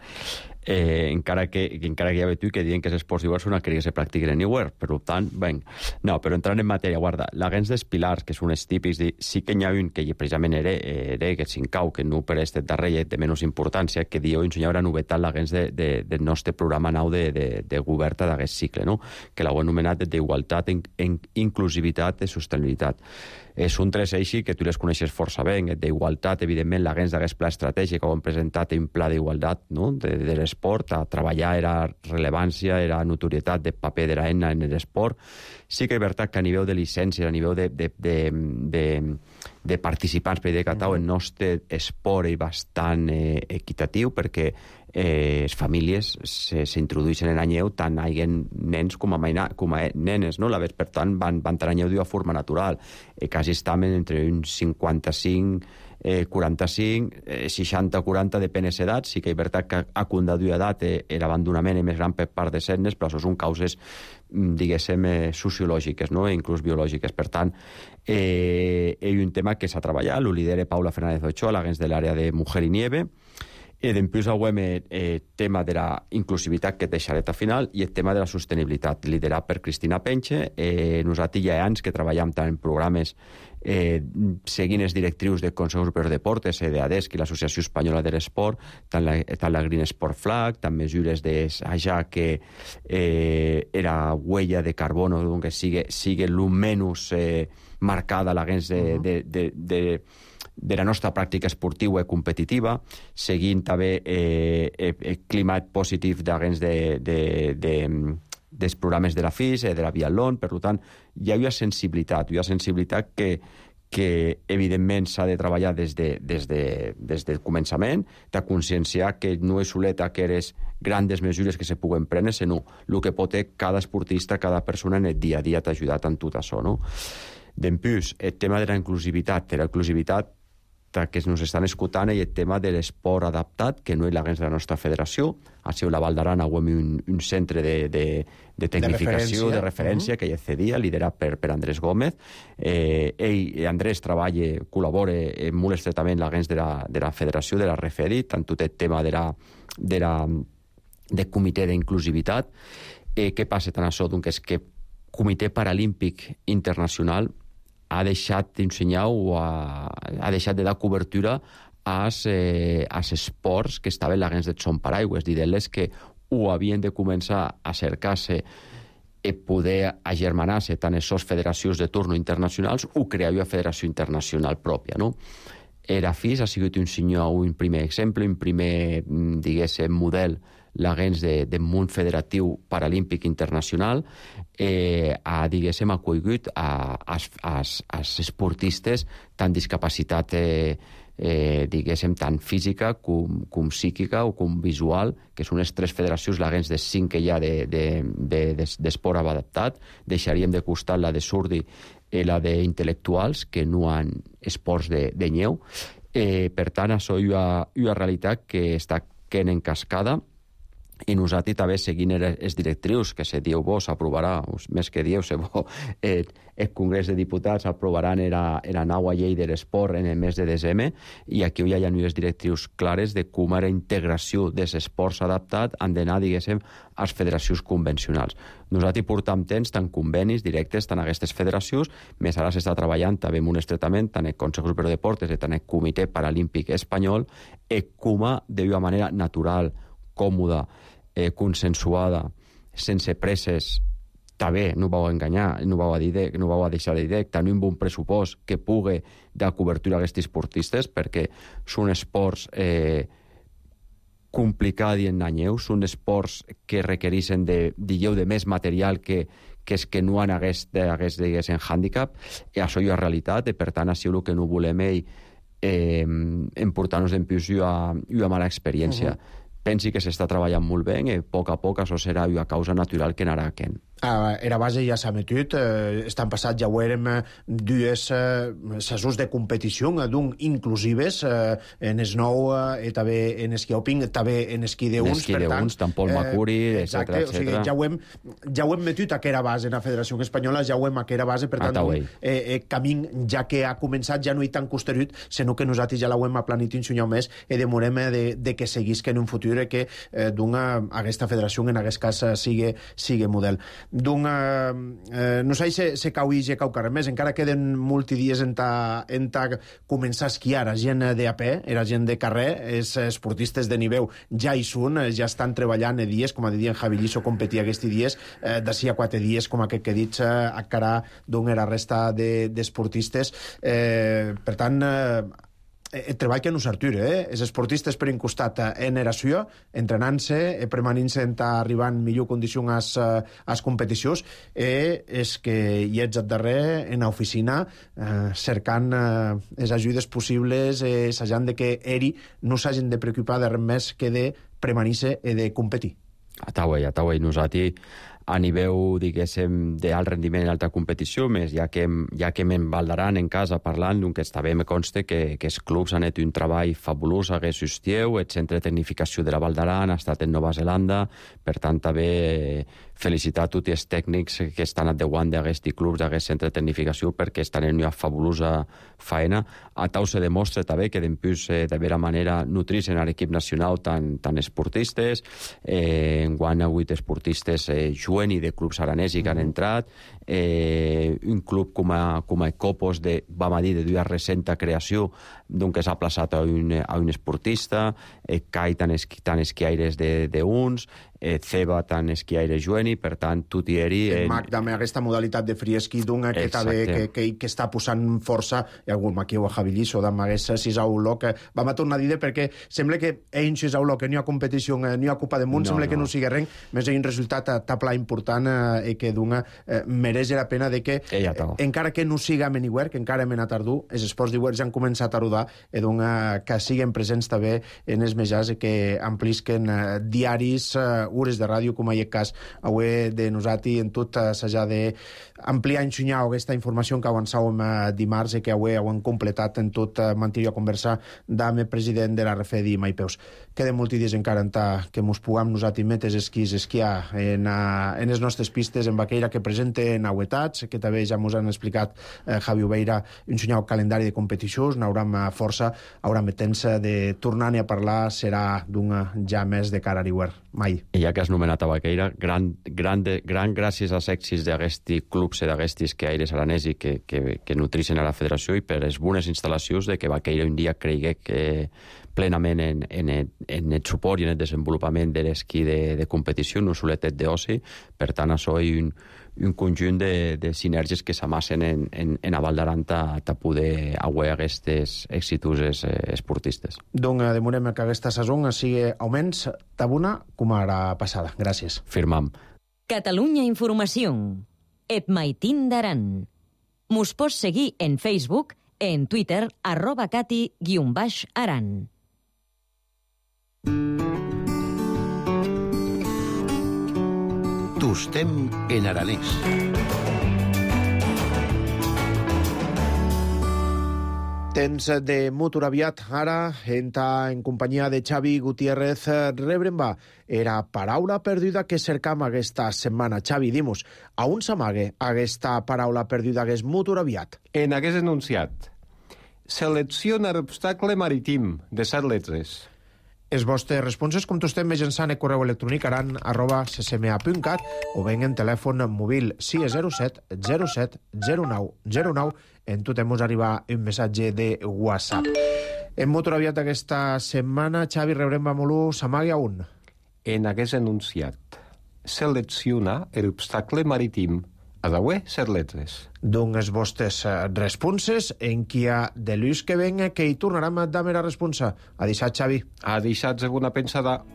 Encara que hi ha vetu que diuen que els esports d'hivern són aquells que se practiquen en hivern, per tant, no, però entrant en matèria, guarda, la gens dels pilars, que són els típics, sí que n'hi ha un que precisament era que s'incau, que no per este darrer de menys importància, que diu ensenyar una novetat la gens del nostre programa nou de govern d'aquest cicle, no? Que l'heu anomenat d'igualtat, inclusivitat i sostenibilitat. Són tres eixos que tu les coneixes força bé. D'igualtat, evidentment, la gens d'aquest pla estratègic que ho hem presentat un pla d'igualtat, no? de l'esport, a treballar era rellevància, era notorietat de paper de la ENA en l'esport. Sí que és veritat que a nivell de llicències, a nivell de participants per Catau, el nostre esport és bastant equitatiu, perquè les famílies s'introdueixen en anyeu tant hi ha nens com a nenes, no? Per tant, van tenir anyeu d'una forma natural. Quasi estaven entre uns 55, 45, 60-40, depèn de l'edat. Sí que és veritat que a quan d'edat l'abandonament és més gran per part de nenes, però això són causes, diguéssim, sociològiques, no? Inclús biològiques. Per tant, és un tema que s'ha treballat, ho lidera Paula Fernández Ochoa, l'agent de l'àrea de Mujer i Nieve. Després avui el tema de la inclusivitat, que et deixaré al final, i el tema de la sostenibilitat, liderat per Cristina Penche. Nosaltres ja anys que treballem tant en programes seguint els directrius del Consell Europeu de Deportes, d'ADESC i l'Associació Espanyola de l'Esport, tant la Green Sport Flag, tant mesures d'allà que era huella de carbono, que sigui el menys marcada la gens de la nostra pràctica esportiva i competitiva, seguint també el climat positiu dels programes de la FIS, de la Biatlón. Per tant, hi ha una sensibilitat que evidentment s'ha de treballar des del començament, de conscienciar que no és soleta que eres grandes mesures que se puguen prendre, sinó el que pot ser cada esportista, cada persona en el dia a dia t'ha ajudat en tot això, no? Després, el tema de la inclusivitat, que ens estan escoltant, i el tema de l'esport adaptat, que no és la gens de la nostra federació. A la Val d'Aran avui un centre de tecnificació, de referència, que ja cedia, liderat per Andrés Gómez. Andrés col·labora molt estretament la gens de la federació, de la RFEDI, tant tot el tema del comitè d'inclusivitat. Què passa tant això? És que el Comitè Paralímpic Internacional ha deixat d'ensenyar o ha deixat de dar cobertura als esports que estaven la gens del son paraigües, dient-les que ho havien de començar a cercar-se i poder agermanar-se tant les federacions de torno internacionals o crear una federació internacional pròpia, no? Era FIS ha sigut un primer exemple, un primer, diguéssim, model la gens del món federatiu paralímpic internacional, diguéssim, acollit als esportistes tant discapacitat, diguéssim, tant física com psíquica o com visual, que són les tres federacions, la gens de 5 que hi ha d'esport adaptat. Deixaríem de costat la de surdi i la d'intel·lectuals, que no han esports de nyeu. Per tant, això és una realitat que està quedant en cascada, i nosaltres també seguint els directrius que se diu vos aprovarà, més que dieu, el Congrés de Diputats aprovaran la nova llei de l'esport en el mes de desembre, i aquí hi ha unes directrius clares de com la integració dels esports adaptats han d'anar, diguéssim, a les federacions convencionals. Nosaltres portam temps tant convenis directes tant a aquestes federacions, més ara s'està treballant també en un estretament tant el Consejo Superior de Deportes i tant el Comitè Paralímpic Espanyol, com d'una manera natural, còmoda, consensuada, sense presses, també, no vau enganyar, no vau deixar de dir, també amb un pressupost que pugui dar cobertura a aquests esportistes, perquè són esports complicats i enganyeus, són esports que requereixen de més material que és que no han diguéssim, hàndicap, i això és realitat, i per tant, això és el que no volem emportar-nos en pius una mala experiència. Pensi que s'està treballant molt bé, i a poc això serà una causa natural que anarà aquent. Era base ja s'ha metut, estan passat, ja ho érem, dues sessions de competició, d'un inclusives, en esnou, també en esquí alpin, també en esquí de uns, per tant... tant Pol Macuri, etc. O sigui, ja ho hem metut a aquella base en la Federació Espanyola, ja ho hem a aquella base, per tant, camí, ja que ha començat, ja no hi tan costerut, sinó que nosaltres ja l'hem aplanit un senyor més, i demorem de que seguís que en un futur que aquesta federació en aquest cas sigui model. No sé si se cau i se cau carrer més, encara queden multidies en començar a esquiar a gent d'AP, era gent de carrer, els esportistes de nivell ja hi són, ja estan treballant dies, com a dir en Javi Liso competia aquests dies, d'ací a 4 dies, com aquest que he dit, a cara la resta d'esportistes. Per tant, el treball que no s'artura, els esportistes per un costat en eració, entrenant-se, premanint-se arribant millor condició a les competicions, és que hi ets al darrer en l'oficina cercant les ajudes possibles, assajant que eri no s'hagin de preocupar de res més que de premanir-se i de competir. Està bé. Nosaltres a nivell, diguéssim, d'alt rendiment en alta competició, més ja que me'n Valdaran en casa parlant, que està bé, me consta que els clubs han fet un treball fabulós aquest estiu, el centre de tecnificació de la Valdaran ha estat en Nova Zelanda, per tant, també felicitar a tots els tècnics que estan endavant d'aquests clubs, d'aquest centre de tecnificació, perquè estan en una fabulosa feina. A tau se demostra també que d'empús de vera manera nutrir-se en l'equip nacional tant esportistes, enguany 8 esportistes i de clubs aranesi que han entrat, un club com a Copos vam a dir de duia recenta creació, que s'ha plaçat a un esportista, CAI tant esquiaires d'uns, Ceba tant esquiaire jueni, per tant, tot i eri... El MAC també aquesta modalitat de free ski que està posant força, i algun maquiu a Javi Liso d'amagués 6 a 1 que vam a tornar a dir perquè sembla que ells 6 a 1 que no hi ha competició, no hi ha Copa del Món, sembla que no sigui res, més hi ha un resultat a pla important i que mereix la pena de que, encara que no siga anywhere, que encara mena tardú, els esports d'Iwer ja han començat a rodar i que siguen presents també en els mitjans i que amplisquen diaris, hores de ràdio, com a aquest cas avui de nosaltres, en tot s'ha d'ampliar i ensenyar aquesta informació que avançàvem dimarts i que avui hem completat en tot mantenir a conversar amb el president de la RFEDI, Maipeus. Queden molts dies encara que ens puguem nosaltres metes esquiar en les nostres pistes en Baqueira, que presenten novetats, que també ja ens han explicat Javi Obeira, ensenyar el calendari de competicions, n'haurem força, haurem temps de tornar-ne a parlar, serà ja més de cara a l'Iwer. Mai. I ja que has nomenat a Baqueira, gran gràcies als èxits d'aquests clubs i d'aquests esquiaires aranesi que nutreixen a la federació i per les bones instal·lacions de que Baqueira un dia creigui plenament en el suport i en el desenvolupament de l'esquí de competició, no soletet d'oci. Per tant, això és un conjunt de sinergies que s'amassen en a Valdaran a poder aguar aquestes exituses esportistes. Donc, demorem que aquesta saison sigui almenys tabuna com ara passada. Gràcies. Firmam. Catalunya Informació. Et maitín d'Aran. Mos pots seguir en Facebook, en Twitter, @cati_aran. Tostem en aranès. Temps de Mutur aviat. Ara, en companyia de Xavi Gutiérrez, rebrem era paraula perduda que cercam aquesta setmana. Xavi, dimus, a on s'amague aquesta paraula perduda que és Mutur aviat? En aquest enunciat. Selecciona l'obstacle marítim, de 7 lletres. Els vostres responses, com tu estem mitjançant el correu electrònic aran@ccma.cat o ben en telèfon mòbil 607 07 09 09. En tu temus arribar un missatge de WhatsApp. En Motor aviat aquesta setmana, Xavi, rebrem a Molú, s'amagui a un. En aquest enunciat. Selecciona l'obstacle marítim. A d'avui, 7 lletres. Doncs els vostres responses, en qui ha de l'ús que venga, que hi tornarem a dar la responsa. A deixar, Xavi. A deixar alguna pensada.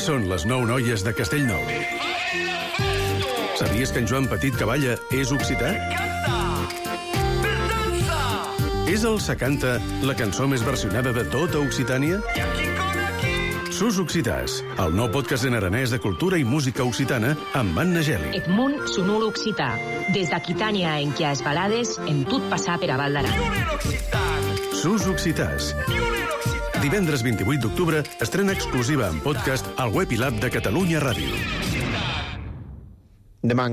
Són les 9 noies de Castellnou. Sabies que en Joan Petit Cavalla és occità? És el Secanta la cançó més versionada de tota Occitània? Sus Occitàs, el nou podcast en aranès de cultura i música occitana amb Anna Geli. Et món sonor occità. Des d'Aquitània en qui has balades, en tot passar per a Val d'Aran. Sus Occitàs. Divendres 28 d'octubre estrena exclusiva en podcast al web i l'app de Catalunya Ràdio. Demà,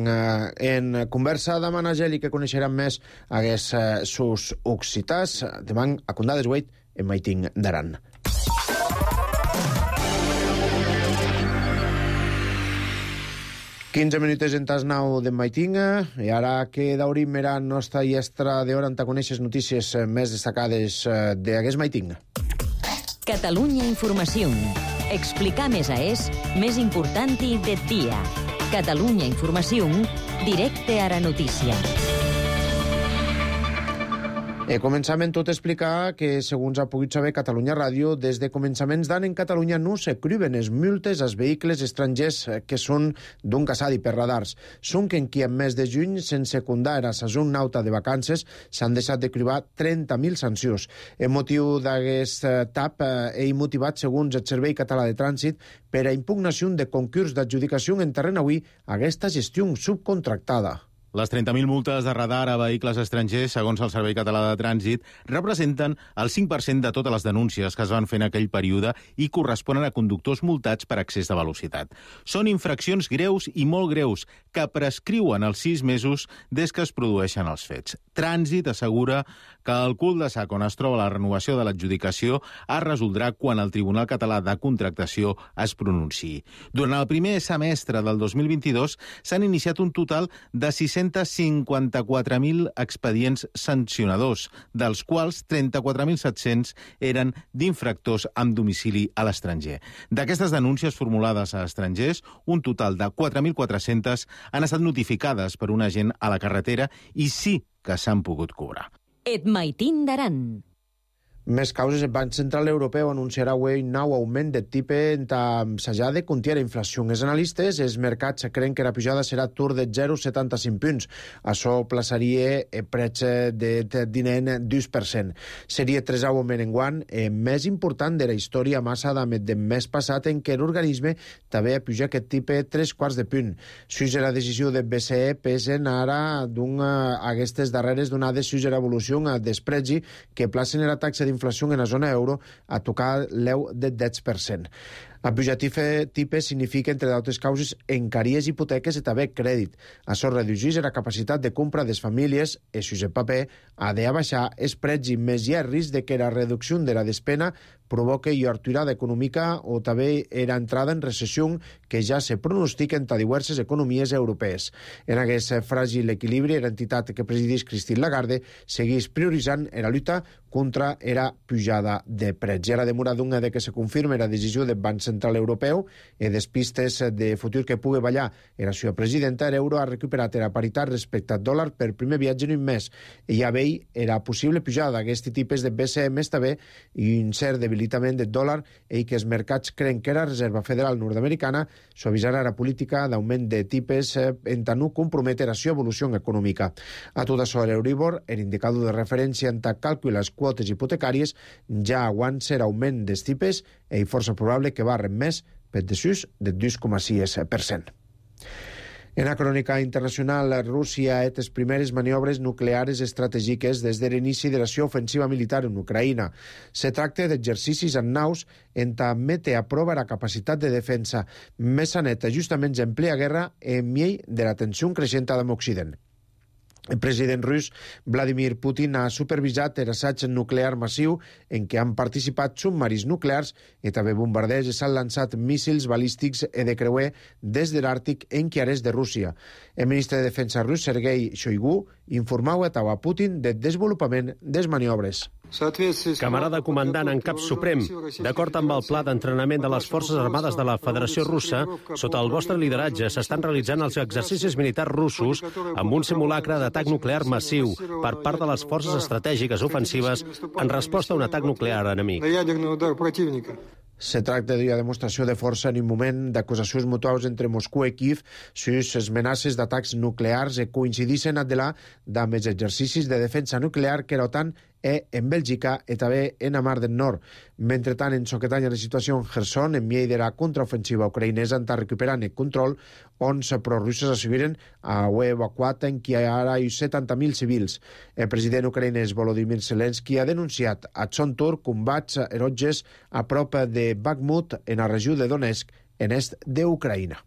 en conversa amb Anna Geli, que coneixerem més aquests sus occitàs, demà a Condades 8, en Maiting d'Aran. Quinze minuts en tas 9 de Maiting, i ara que d'obrim la nostra llestra d'hora on coneixes notícies més destacades d'aquest Maiting. Catalunya Informació. Explicar més més important del dia. Catalunya Informació, directe a la notícia. Començam en tot a explicar que, segons ha pogut saber Catalunya Ràdio, des de començaments d'any en Catalunya no s'ecruben les multes als vehicles estrangers que són d'un casadi per radars. Són que en qui en mes de juny, sense comptar a sazón nauta de vacances, s'han deixat de cribar 30.000 sancions. En motiu d'aquest tap, ell motivat, segons el Servei Català de Trànsit, per a impugnació de concurs d'adjudicació en terreny avui aquesta gestió subcontractada. Les 30.000 multes de radar a vehicles estrangers, segons el Servei Català de Trànsit, representen el 5% de totes les denúncies que es van fer en aquell període i corresponen a conductors multats per excés de velocitat. Són infraccions greus i molt greus que prescriuen els 6 mesos des que es produeixen els fets. Trànsit assegura que el cul de sac on es troba la renovació de l'adjudicació es resoldrà quan el Tribunal Català de Contractació es pronunciï. Durant el primer semestre del 2022 s'han iniciat un total de 654.000 expedients sancionadors, dels quals 34.700 eren d'infractors amb domicili a l'estranger. D'aquestes denúncies formulades a estrangers, un total de 4.400 han estat notificades per un agent a la carretera i sí que s'han pogut cobrar. Et Maiting d'Aran. Més causes, el Banc Central Europeu anunciarà avui nou augment de tipe s'ha de contiar la inflació. Els analistes, els mercats, creuen que la pujada serà tur de 0,75 punts. Això plaçaria el prec de dinent 2%. Seria 3 augment enguany, més important de la història massa de mes passat en què l'organisme també ha pujat aquest tipe 3 quarts de punt. Suix la decisió del BCE pesen ara aquestes darreres donades suix l'evolució despregi que placen la taxa d'inflació en la zona euro a tocar l'eu de 10%. El pujar tipe significa, entre d'altres causes, encaries hipoteques i també crèdit. Això redueix la capacitat de compra de les famílies i, si el paper ha de baixar, els preus i més hi ha risc de que la reducció de la despesa provoque aturada econòmica o també la entrada en recessió que ja se pronostica entre diverses economies europees. En aquest fràgil equilibri, l'entitat que presideix Christine Lagarde segueix prioritzant la lluita contra la pujada de preus. I ara demora d'una de que se confirmi la decisió del Banc Central Europeu e despistes de futur que pugui ballar era sua presidenta, l'euro ha recuperat la paritat respecte al dòlar per primer viatge en un mes. I ja vei era possible pujada d'aquests tipus de BCE més també i un cert debilitament del dòlar i que els mercats creen que la Reserva Federal nord-americana suavitzarà la política d'augment de tipus en tant no comprometre la seva evolució econòmica. A tot això, l'Euribor, l'indicador de referència en tant càlcul les quotes hipotecàries, ja aguanta l'augment dels tipus i força probable que va més per desús del 2,6%. En la crònica internacional, Rússia ha fet les primeres maniobres nuclears estratègiques des de l'inici de la seva ofensiva militar en Ucraïna. Se tracta d'exercicis en naus en tant mete a prova la capacitat de defensa més neta justament en plena guerra en mig de la tensió creixent amb Occident. El president rus Vladimir Putin ha supervisat l'assaig nuclear massiu en què han participat submarins nuclears i també bombarders i s'han lançat míssils balístics i de creuer des de l'Àrtic en quiarès de Rússia. El ministre de Defensa rus, Sergei Shoigu, informava a Putin del desenvolupament des maniobres. Camarada comandant en cap suprem, d'acord amb el pla d'entrenament de les Forces Armades de la Federació Russa, sota el vostre lideratge s'estan realitzant els exercicis militars russos amb un simulacre d'atac nuclear massiu per part de les forces estratègiques ofensives en resposta a un atac nuclear enemic. Se tracta d'una demostració de força en un moment d'acusacions mutuals entre Moscou i Kiev sus les amenaces d'atacs nuclears que coincideixen a delà amb els exercicis de defensa nuclear que l'OTAN en Bèlgica i també en la Mar del Nord. Mentrestant, en Soquetanya la situació en Kherson, en mig de la contraofensiva ucraïnesa, està recuperant el control, on els prorussos asseguren a evacuat en què ara hi ha 70.000 civils. El president ucraïnès Volodymyr Zelensky ha denunciat a son torn combats eroges a prop de Bakhmut, en la regió de Donetsk, en est d'Ucraïna.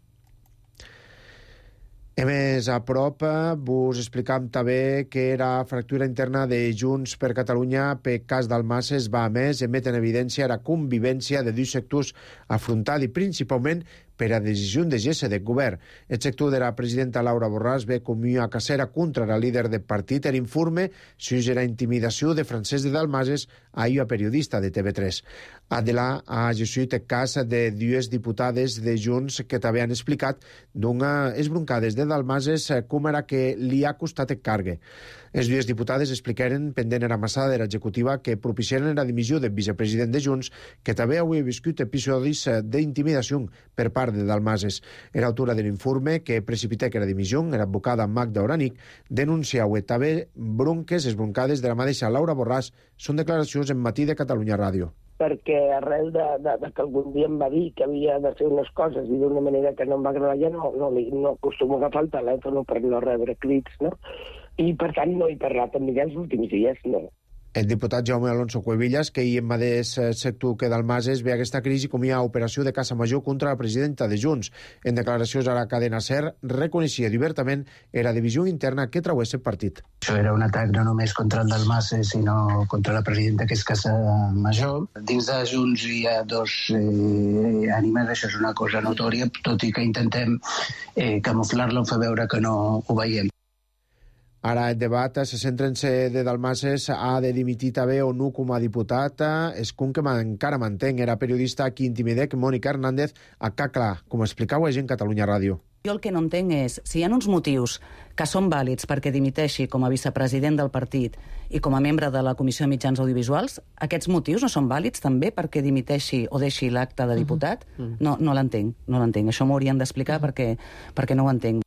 A més, a prop, vos explicam també que la fractura interna de Junts per Catalunya per cas Dalmases va a més emet en evidència la convivència de dos sectors afrontada i principalment per a decisió de gest de govern. El sector de la presidenta Laura Borràs ve com una cacera contra la líder del partit l'informe sobre la intimidació de Francesc de Dalmases a una periodista de TV3. Adelà ha llegit el cas de dues diputades de Junts que també han explicat d'unes broncades de Dalmases com era que li ha costat el cargue. Les dues diputades explicaren, pendent la massada de l'executiva, que propiciaren la dimissió del vicepresident de Junts, que també havia viscut episodis d'intimidació per part de Dalmases. L'autora de l'informe que precipita que la dimissió, l'advocada Magda Oranic, denunciava també bronques, les broncades de la mateixa Laura Borràs. Són declaracions en Matí de Catalunya Ràdio. Perquè arrel de que algun dia em va dir que havia de fer unes coses i d'una manera que no em va agradar, ja no acostumo a agafar el telèfon per no rebre crits, no? I, per tant, no he parlat amb ella els últims dies, no. El diputat Jaume Alonso Cuevillas, que hi en mateix sector que Dalmases, ve aquesta crisi com una operació de caça major contra la presidenta de Junts. En declaracions a la cadena SER, reconeixia obertament la divisió interna que traués el partit. Això era un atac no només contra el Dalmases, sinó contra la presidenta, que és caça major. Dins de Junts hi ha dos ànimes, això és una cosa notòria, tot i que intentem camuflar-la o fer veure que no ho veiem. Ara el debat se centra en si de Dalmases ha de dimitir també o no com a diputat. És que encara mantén era periodista qui intimidec Mònica Hernández a Cacla, com explicava en Catalunya Ràdio. Jo el que no entenc és, si hi ha uns motius que són vàlids perquè dimiteixi com a vicepresident del partit i com a membre de la Comissió de Mitjans Audiovisuals, aquests motius no són vàlids també perquè dimiteixi o deixi l'acte de diputat? No l'entenc. Això m'ho haurien d'explicar perquè no ho entenc.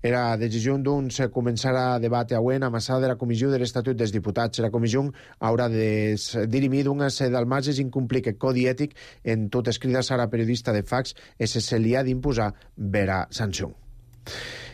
Era decisió d'uns començar a debat avui a massada de la Comissió de l'Estatut dels Diputats. La Comissió haurà de dirimir d'unes Dalmases incomplir el codi ètic en tot escrites a la periodista de Fax i se li ha d'imposar vera sanció.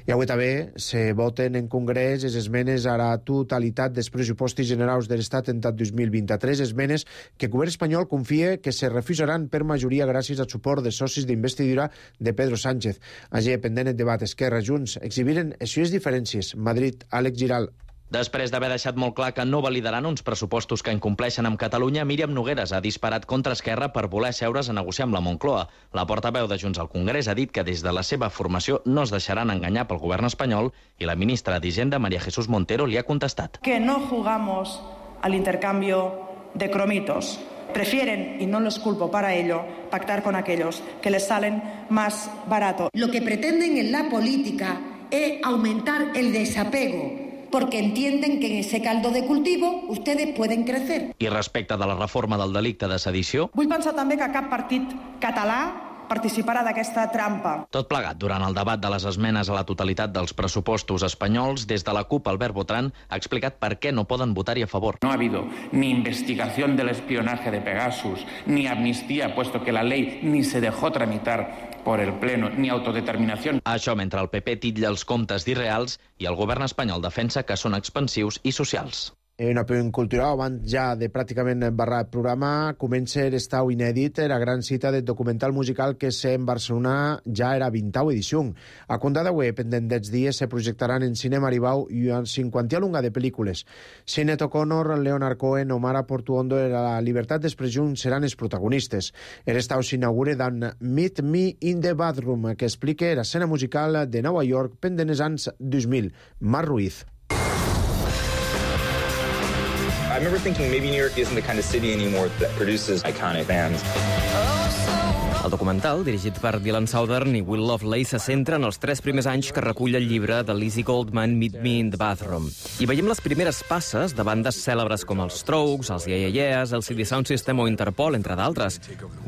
I avui també se voten en Congrés les esmenes a la totalitat dels pressupostos generals de l'Estat en tot 2023, esmenes que el govern espanyol confia que se refusaran per majoria gràcies al suport de socis d'investidura de Pedro Sánchez. Allí, pendent el debat Esquerra Junts, exhibiren les seves diferències. Madrid, Àlex Giral. Després d'haver deixat molt clar que no validaran uns pressupostos que incompleixen amb Catalunya, Míriam Nogueras ha disparat contra Esquerra per voler seure's a negociar amb la Moncloa. La portaveu de Junts al Congrés ha dit que des de la seva formació no es deixaran enganyar pel govern espanyol i la ministra d'Hisenda, María Jesús Montero, li ha contestat. Que no jugamos al intercambio de cromitos. prefieren, y no los culpo para ello, pactar con aquellos que les salen más barato. Lo que pretenden en la política es aumentar el desapego, porque entienden que en ese caldo de cultivo ustedes pueden crecer. I respecte de la reforma del delicte de sedició... Vull pensar també que cap partit català participarà d'aquesta trampa. Tot plegat, durant el debat de les esmenes a la totalitat dels pressupostos espanyols, des de la CUP, Albert Botran ha explicat per què no poden votar-hi a favor. No ha habido ni investigación del espionaje de Pegasus, ni amnistía, puesto que la ley ni se dejó tramitar por el Pleno, ni autodeterminación. Això mentre el PP titlla els comptes d'irreals i el govern espanyol defensa que són expansius i socials. Un apunt cultural, abans ja de pràcticament barrar el programa, comença l'estau inèdit, la gran cita del documental musical que en Barcelona ja era 20a edició. A Condà d'Aué, pendent dels dies, se projectaran en Cinema Aribau i en 50a lunga de pel·lícules. Sinead O'Connor, Leonard Cohen o Mara Portuondo i la llibertat d'expressió seran els protagonistes. L'estau s'inaugura amb Meet Me in the Bathroom, que explica l'escena musical de Nova York pendent els anys 2000. Marc Ruiz. I remember thinking maybe New York isn't the kind of city anymore that produces iconic bands. El documental, dirigit per Dylan Southern i Will Loveley, se centra en els 3 primers anys que recull el llibre de Lizzie Goldman, Meet Me in the Bathroom. I veiem les primeres passes de bandes cèlebres com els Strokes, els Yeah Yeah Yeahs, el CD Sound System o Interpol, entre d'altres.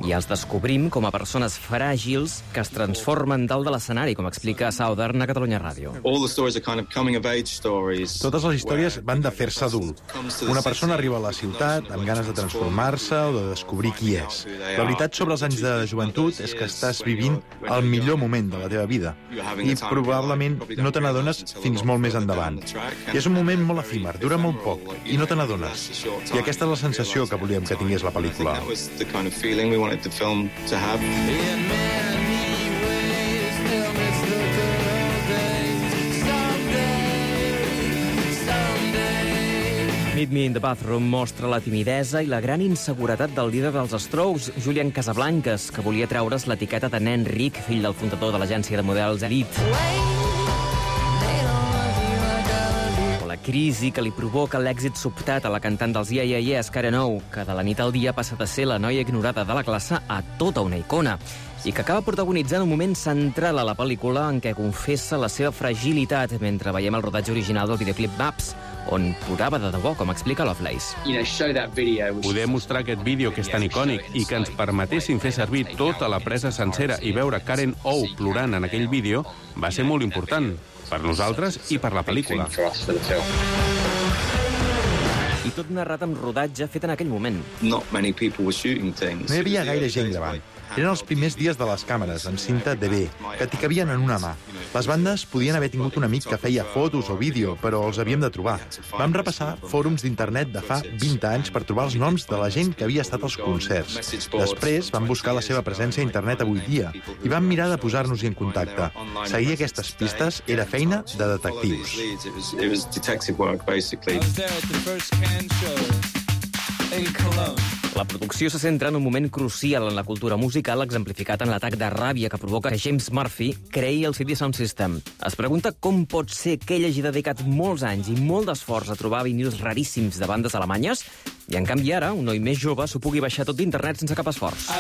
I els descobrim com a persones fràgils que es transformen dalt de l'escenari, com explica Southern a Catalunya Ràdio. Totes les històries van de fer-se adult. Una persona arriba a la ciutat amb ganes de transformar-se o de descobrir qui és. La veritat sobre els anys de joventut és que estàs vivint el millor moment de la teva vida i probablement no te n'adones fins molt més endavant. I és un moment molt efímer, dura molt poc i no te n'adones. I aquesta és la sensació que volíem que tingués la pel·lícula. Meet Me in the Bathroom mostra la timidesa i la gran inseguretat del líder dels Strokes, Julian Casablancas, que volia treure's l'etiqueta de nen ric, fill del fundador de l'agència de models Elite. O la crisi que li provoca l'èxit sobtat a la cantant dels Yeah Yeah Yeahs, Karen O, que de la nit al dia passa de ser la noia ignorada de la classe a tota una icona, i que acaba protagonitzant un moment central a la pel·lícula en què confessa la seva fragilitat mentre veiem el rodatge original del videoclip Maps, on plorava de debò, com explica Lovelace. Poder mostrar aquest vídeo que és tan icònic i que ens permetessin fer servir tota la presa sencera i veure Karen O plorant en aquell vídeo va ser molt important, per nosaltres i per la pel·lícula. I tot narrat amb rodatge fet en aquell moment. No hi havia gaire gent gravant. Eren els primers dies de les càmeres, amb cinta DV, que t'hi cabien en una mà. Les bandes podien haver tingut un amic que feia fotos o vídeo, però els havíem de trobar. Vam repassar fòrums d'internet de fa 20 anys per trobar els noms de la gent que havia estat als concerts. Després vam buscar la seva presència a internet avui dia i vam mirar de posar-nos-hi en contacte. Seguir aquestes pistes era feina de detectius. La producció se centra en un moment crucial en la cultura musical exemplificat en l'atac de ràbia que provoca que James Murphy creï el CD Sound System. Es pregunta com pot ser que ell hagi dedicat molts anys i molt d'esforç a trobar vinils raríssims de bandes alemanyes i, en canvi, ara, un noi més jove s'ho pugui baixar tot d'internet sense cap esforç.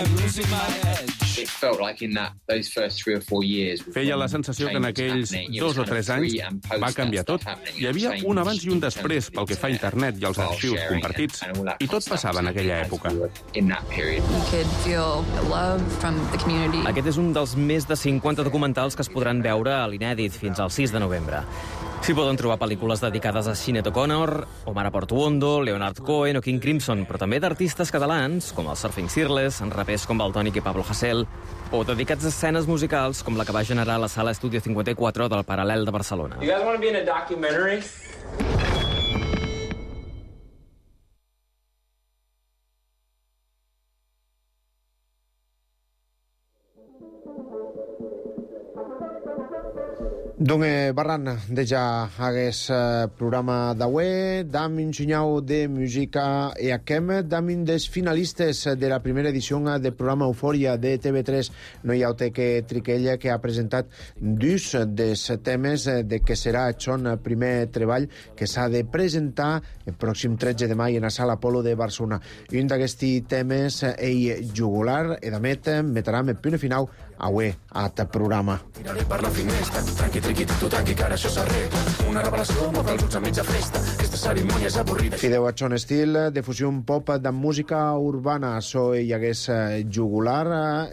Feia la sensació que en aquells 2 o 3 anys va canviar tot. Hi havia un abans i un després pel que fa a internet i els arxius compartits. I tot passava en aquella època. Aquest és un dels més de 50 documentals que es podran veure a l'Inèdit fins al 6 de novembre. S'hi poden trobar pel·lícules dedicades a Sinead O'Connor, Omar Portuondo, Leonard Cohen o King Crimson, però també d'artistes catalans, com el Surfing Fearless, en rapers com Valtònic i Pablo Hasél, o dedicats a escenes musicals com la que va generar la Sala Estudio 54 del Paral·lel de Barcelona. You guys want to be in a documentary? Donde barran deja hagués programa d'avui, dam un senyal de música e aquem, dam un dels finalistes de la primera edició del programa Eufòria de TV3, no hi ha que Triquella, que ha presentat dos dels temes de que serà el son primer treball que s'ha de presentar el pròxim 13 de maig en la Sala Apolo de Barcelona. Un d'aquests temes, Ei Jugular, e d'amet, metrà el punt final avui a aquest programa. Tiraré per la finestra, tranqui, triqui, tu tranqui, que ara això s'arregla. Una revelació, mor dels ulls a mitja festa. Aquesta cerimònia és avorrida. Fideu a son estil de fusió pop de música urbana. So hi hagués Jugular,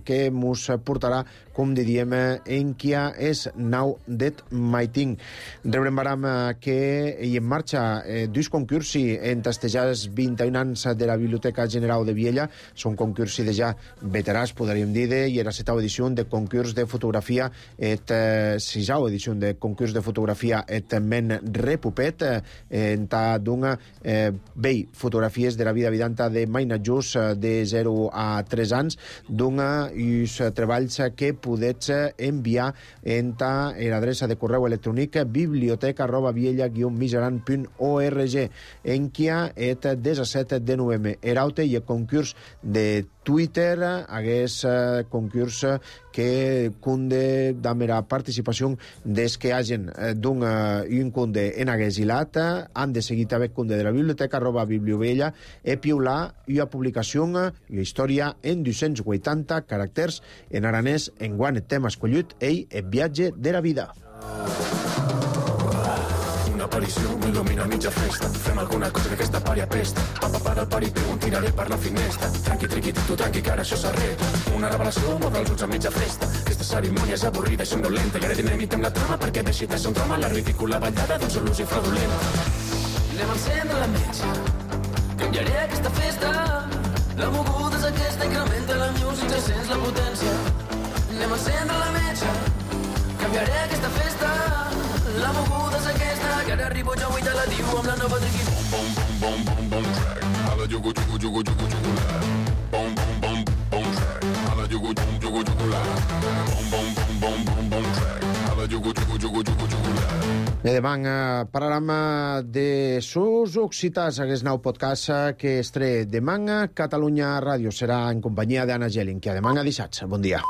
que mos portarà, com diríem, en Kia és Now That My Thing. Rebrem baram que hi en marxa dos concursi en tastejats 21 anys de la Biblioteca General de Viella. Són concursi de ja veterans, podríem dir, i era la 7ª edició de concurs de fotografia, 6ª edició de concurs de fotografia et men repupet, en ta d'una vell fotografies de la vida vidanta de Mainajus de 0 a 3 anys, d'una uns treballs que podets enviar en ta l'adreça de correu electrònic biblioteca@viella-miseran.org en Kia et 17 de novembre. Eraute i el concurs de Twitter hagués concurs que cunde d'amera participació des que hagin un cunde en hagués hilat, han de seguir també cunde de la biblioteca @bibliovella e piular una publicació i història en 280 caràcters en aranès en guant el tema escollit ell el viatge de la vida. Una aparició m'il·lumina a mitja festa. Fem alguna cosa que aquesta pària pesta. Pa del pari peu, tiraré per la finestra. Tranqui, triqui, tu tranqui, que ara això s'arregla. Una revelació, mor dels ulls a mitja festa. Aquesta cerimònia és avorrida i somnolenta. I ara dinamitem la trama perquè deixi de ser un drama la ridícula ballada d'un sol ús i fraudulenta. Anem a encendre la metge. Canviaré aquesta festa. La moguda és aquesta, incrementa la música, sents la potència. Anem a encendre la metge. Canviaré aquesta festa. La moguda és aquesta, que ara arribo jo i te la diu amb la nova triqui. Bom, bom, bom, bom, bom, track. Hala, jugo, jugo, jugo, jugo, jugo, la. Bom, bom, bom, bom, track. Hala, jugo, jugo, jugo, jugo, la. Bom, bom, bom, bom, bom, bom, track. Hala, jugo, jugo, jugo, jugo, jugo, la. I demà parlarem de sus occitans, aquest nou podcast que estre demà Catalunya Ràdio. Serà en companyia d'Anna Gelin, que demà dissabte. Bon dia.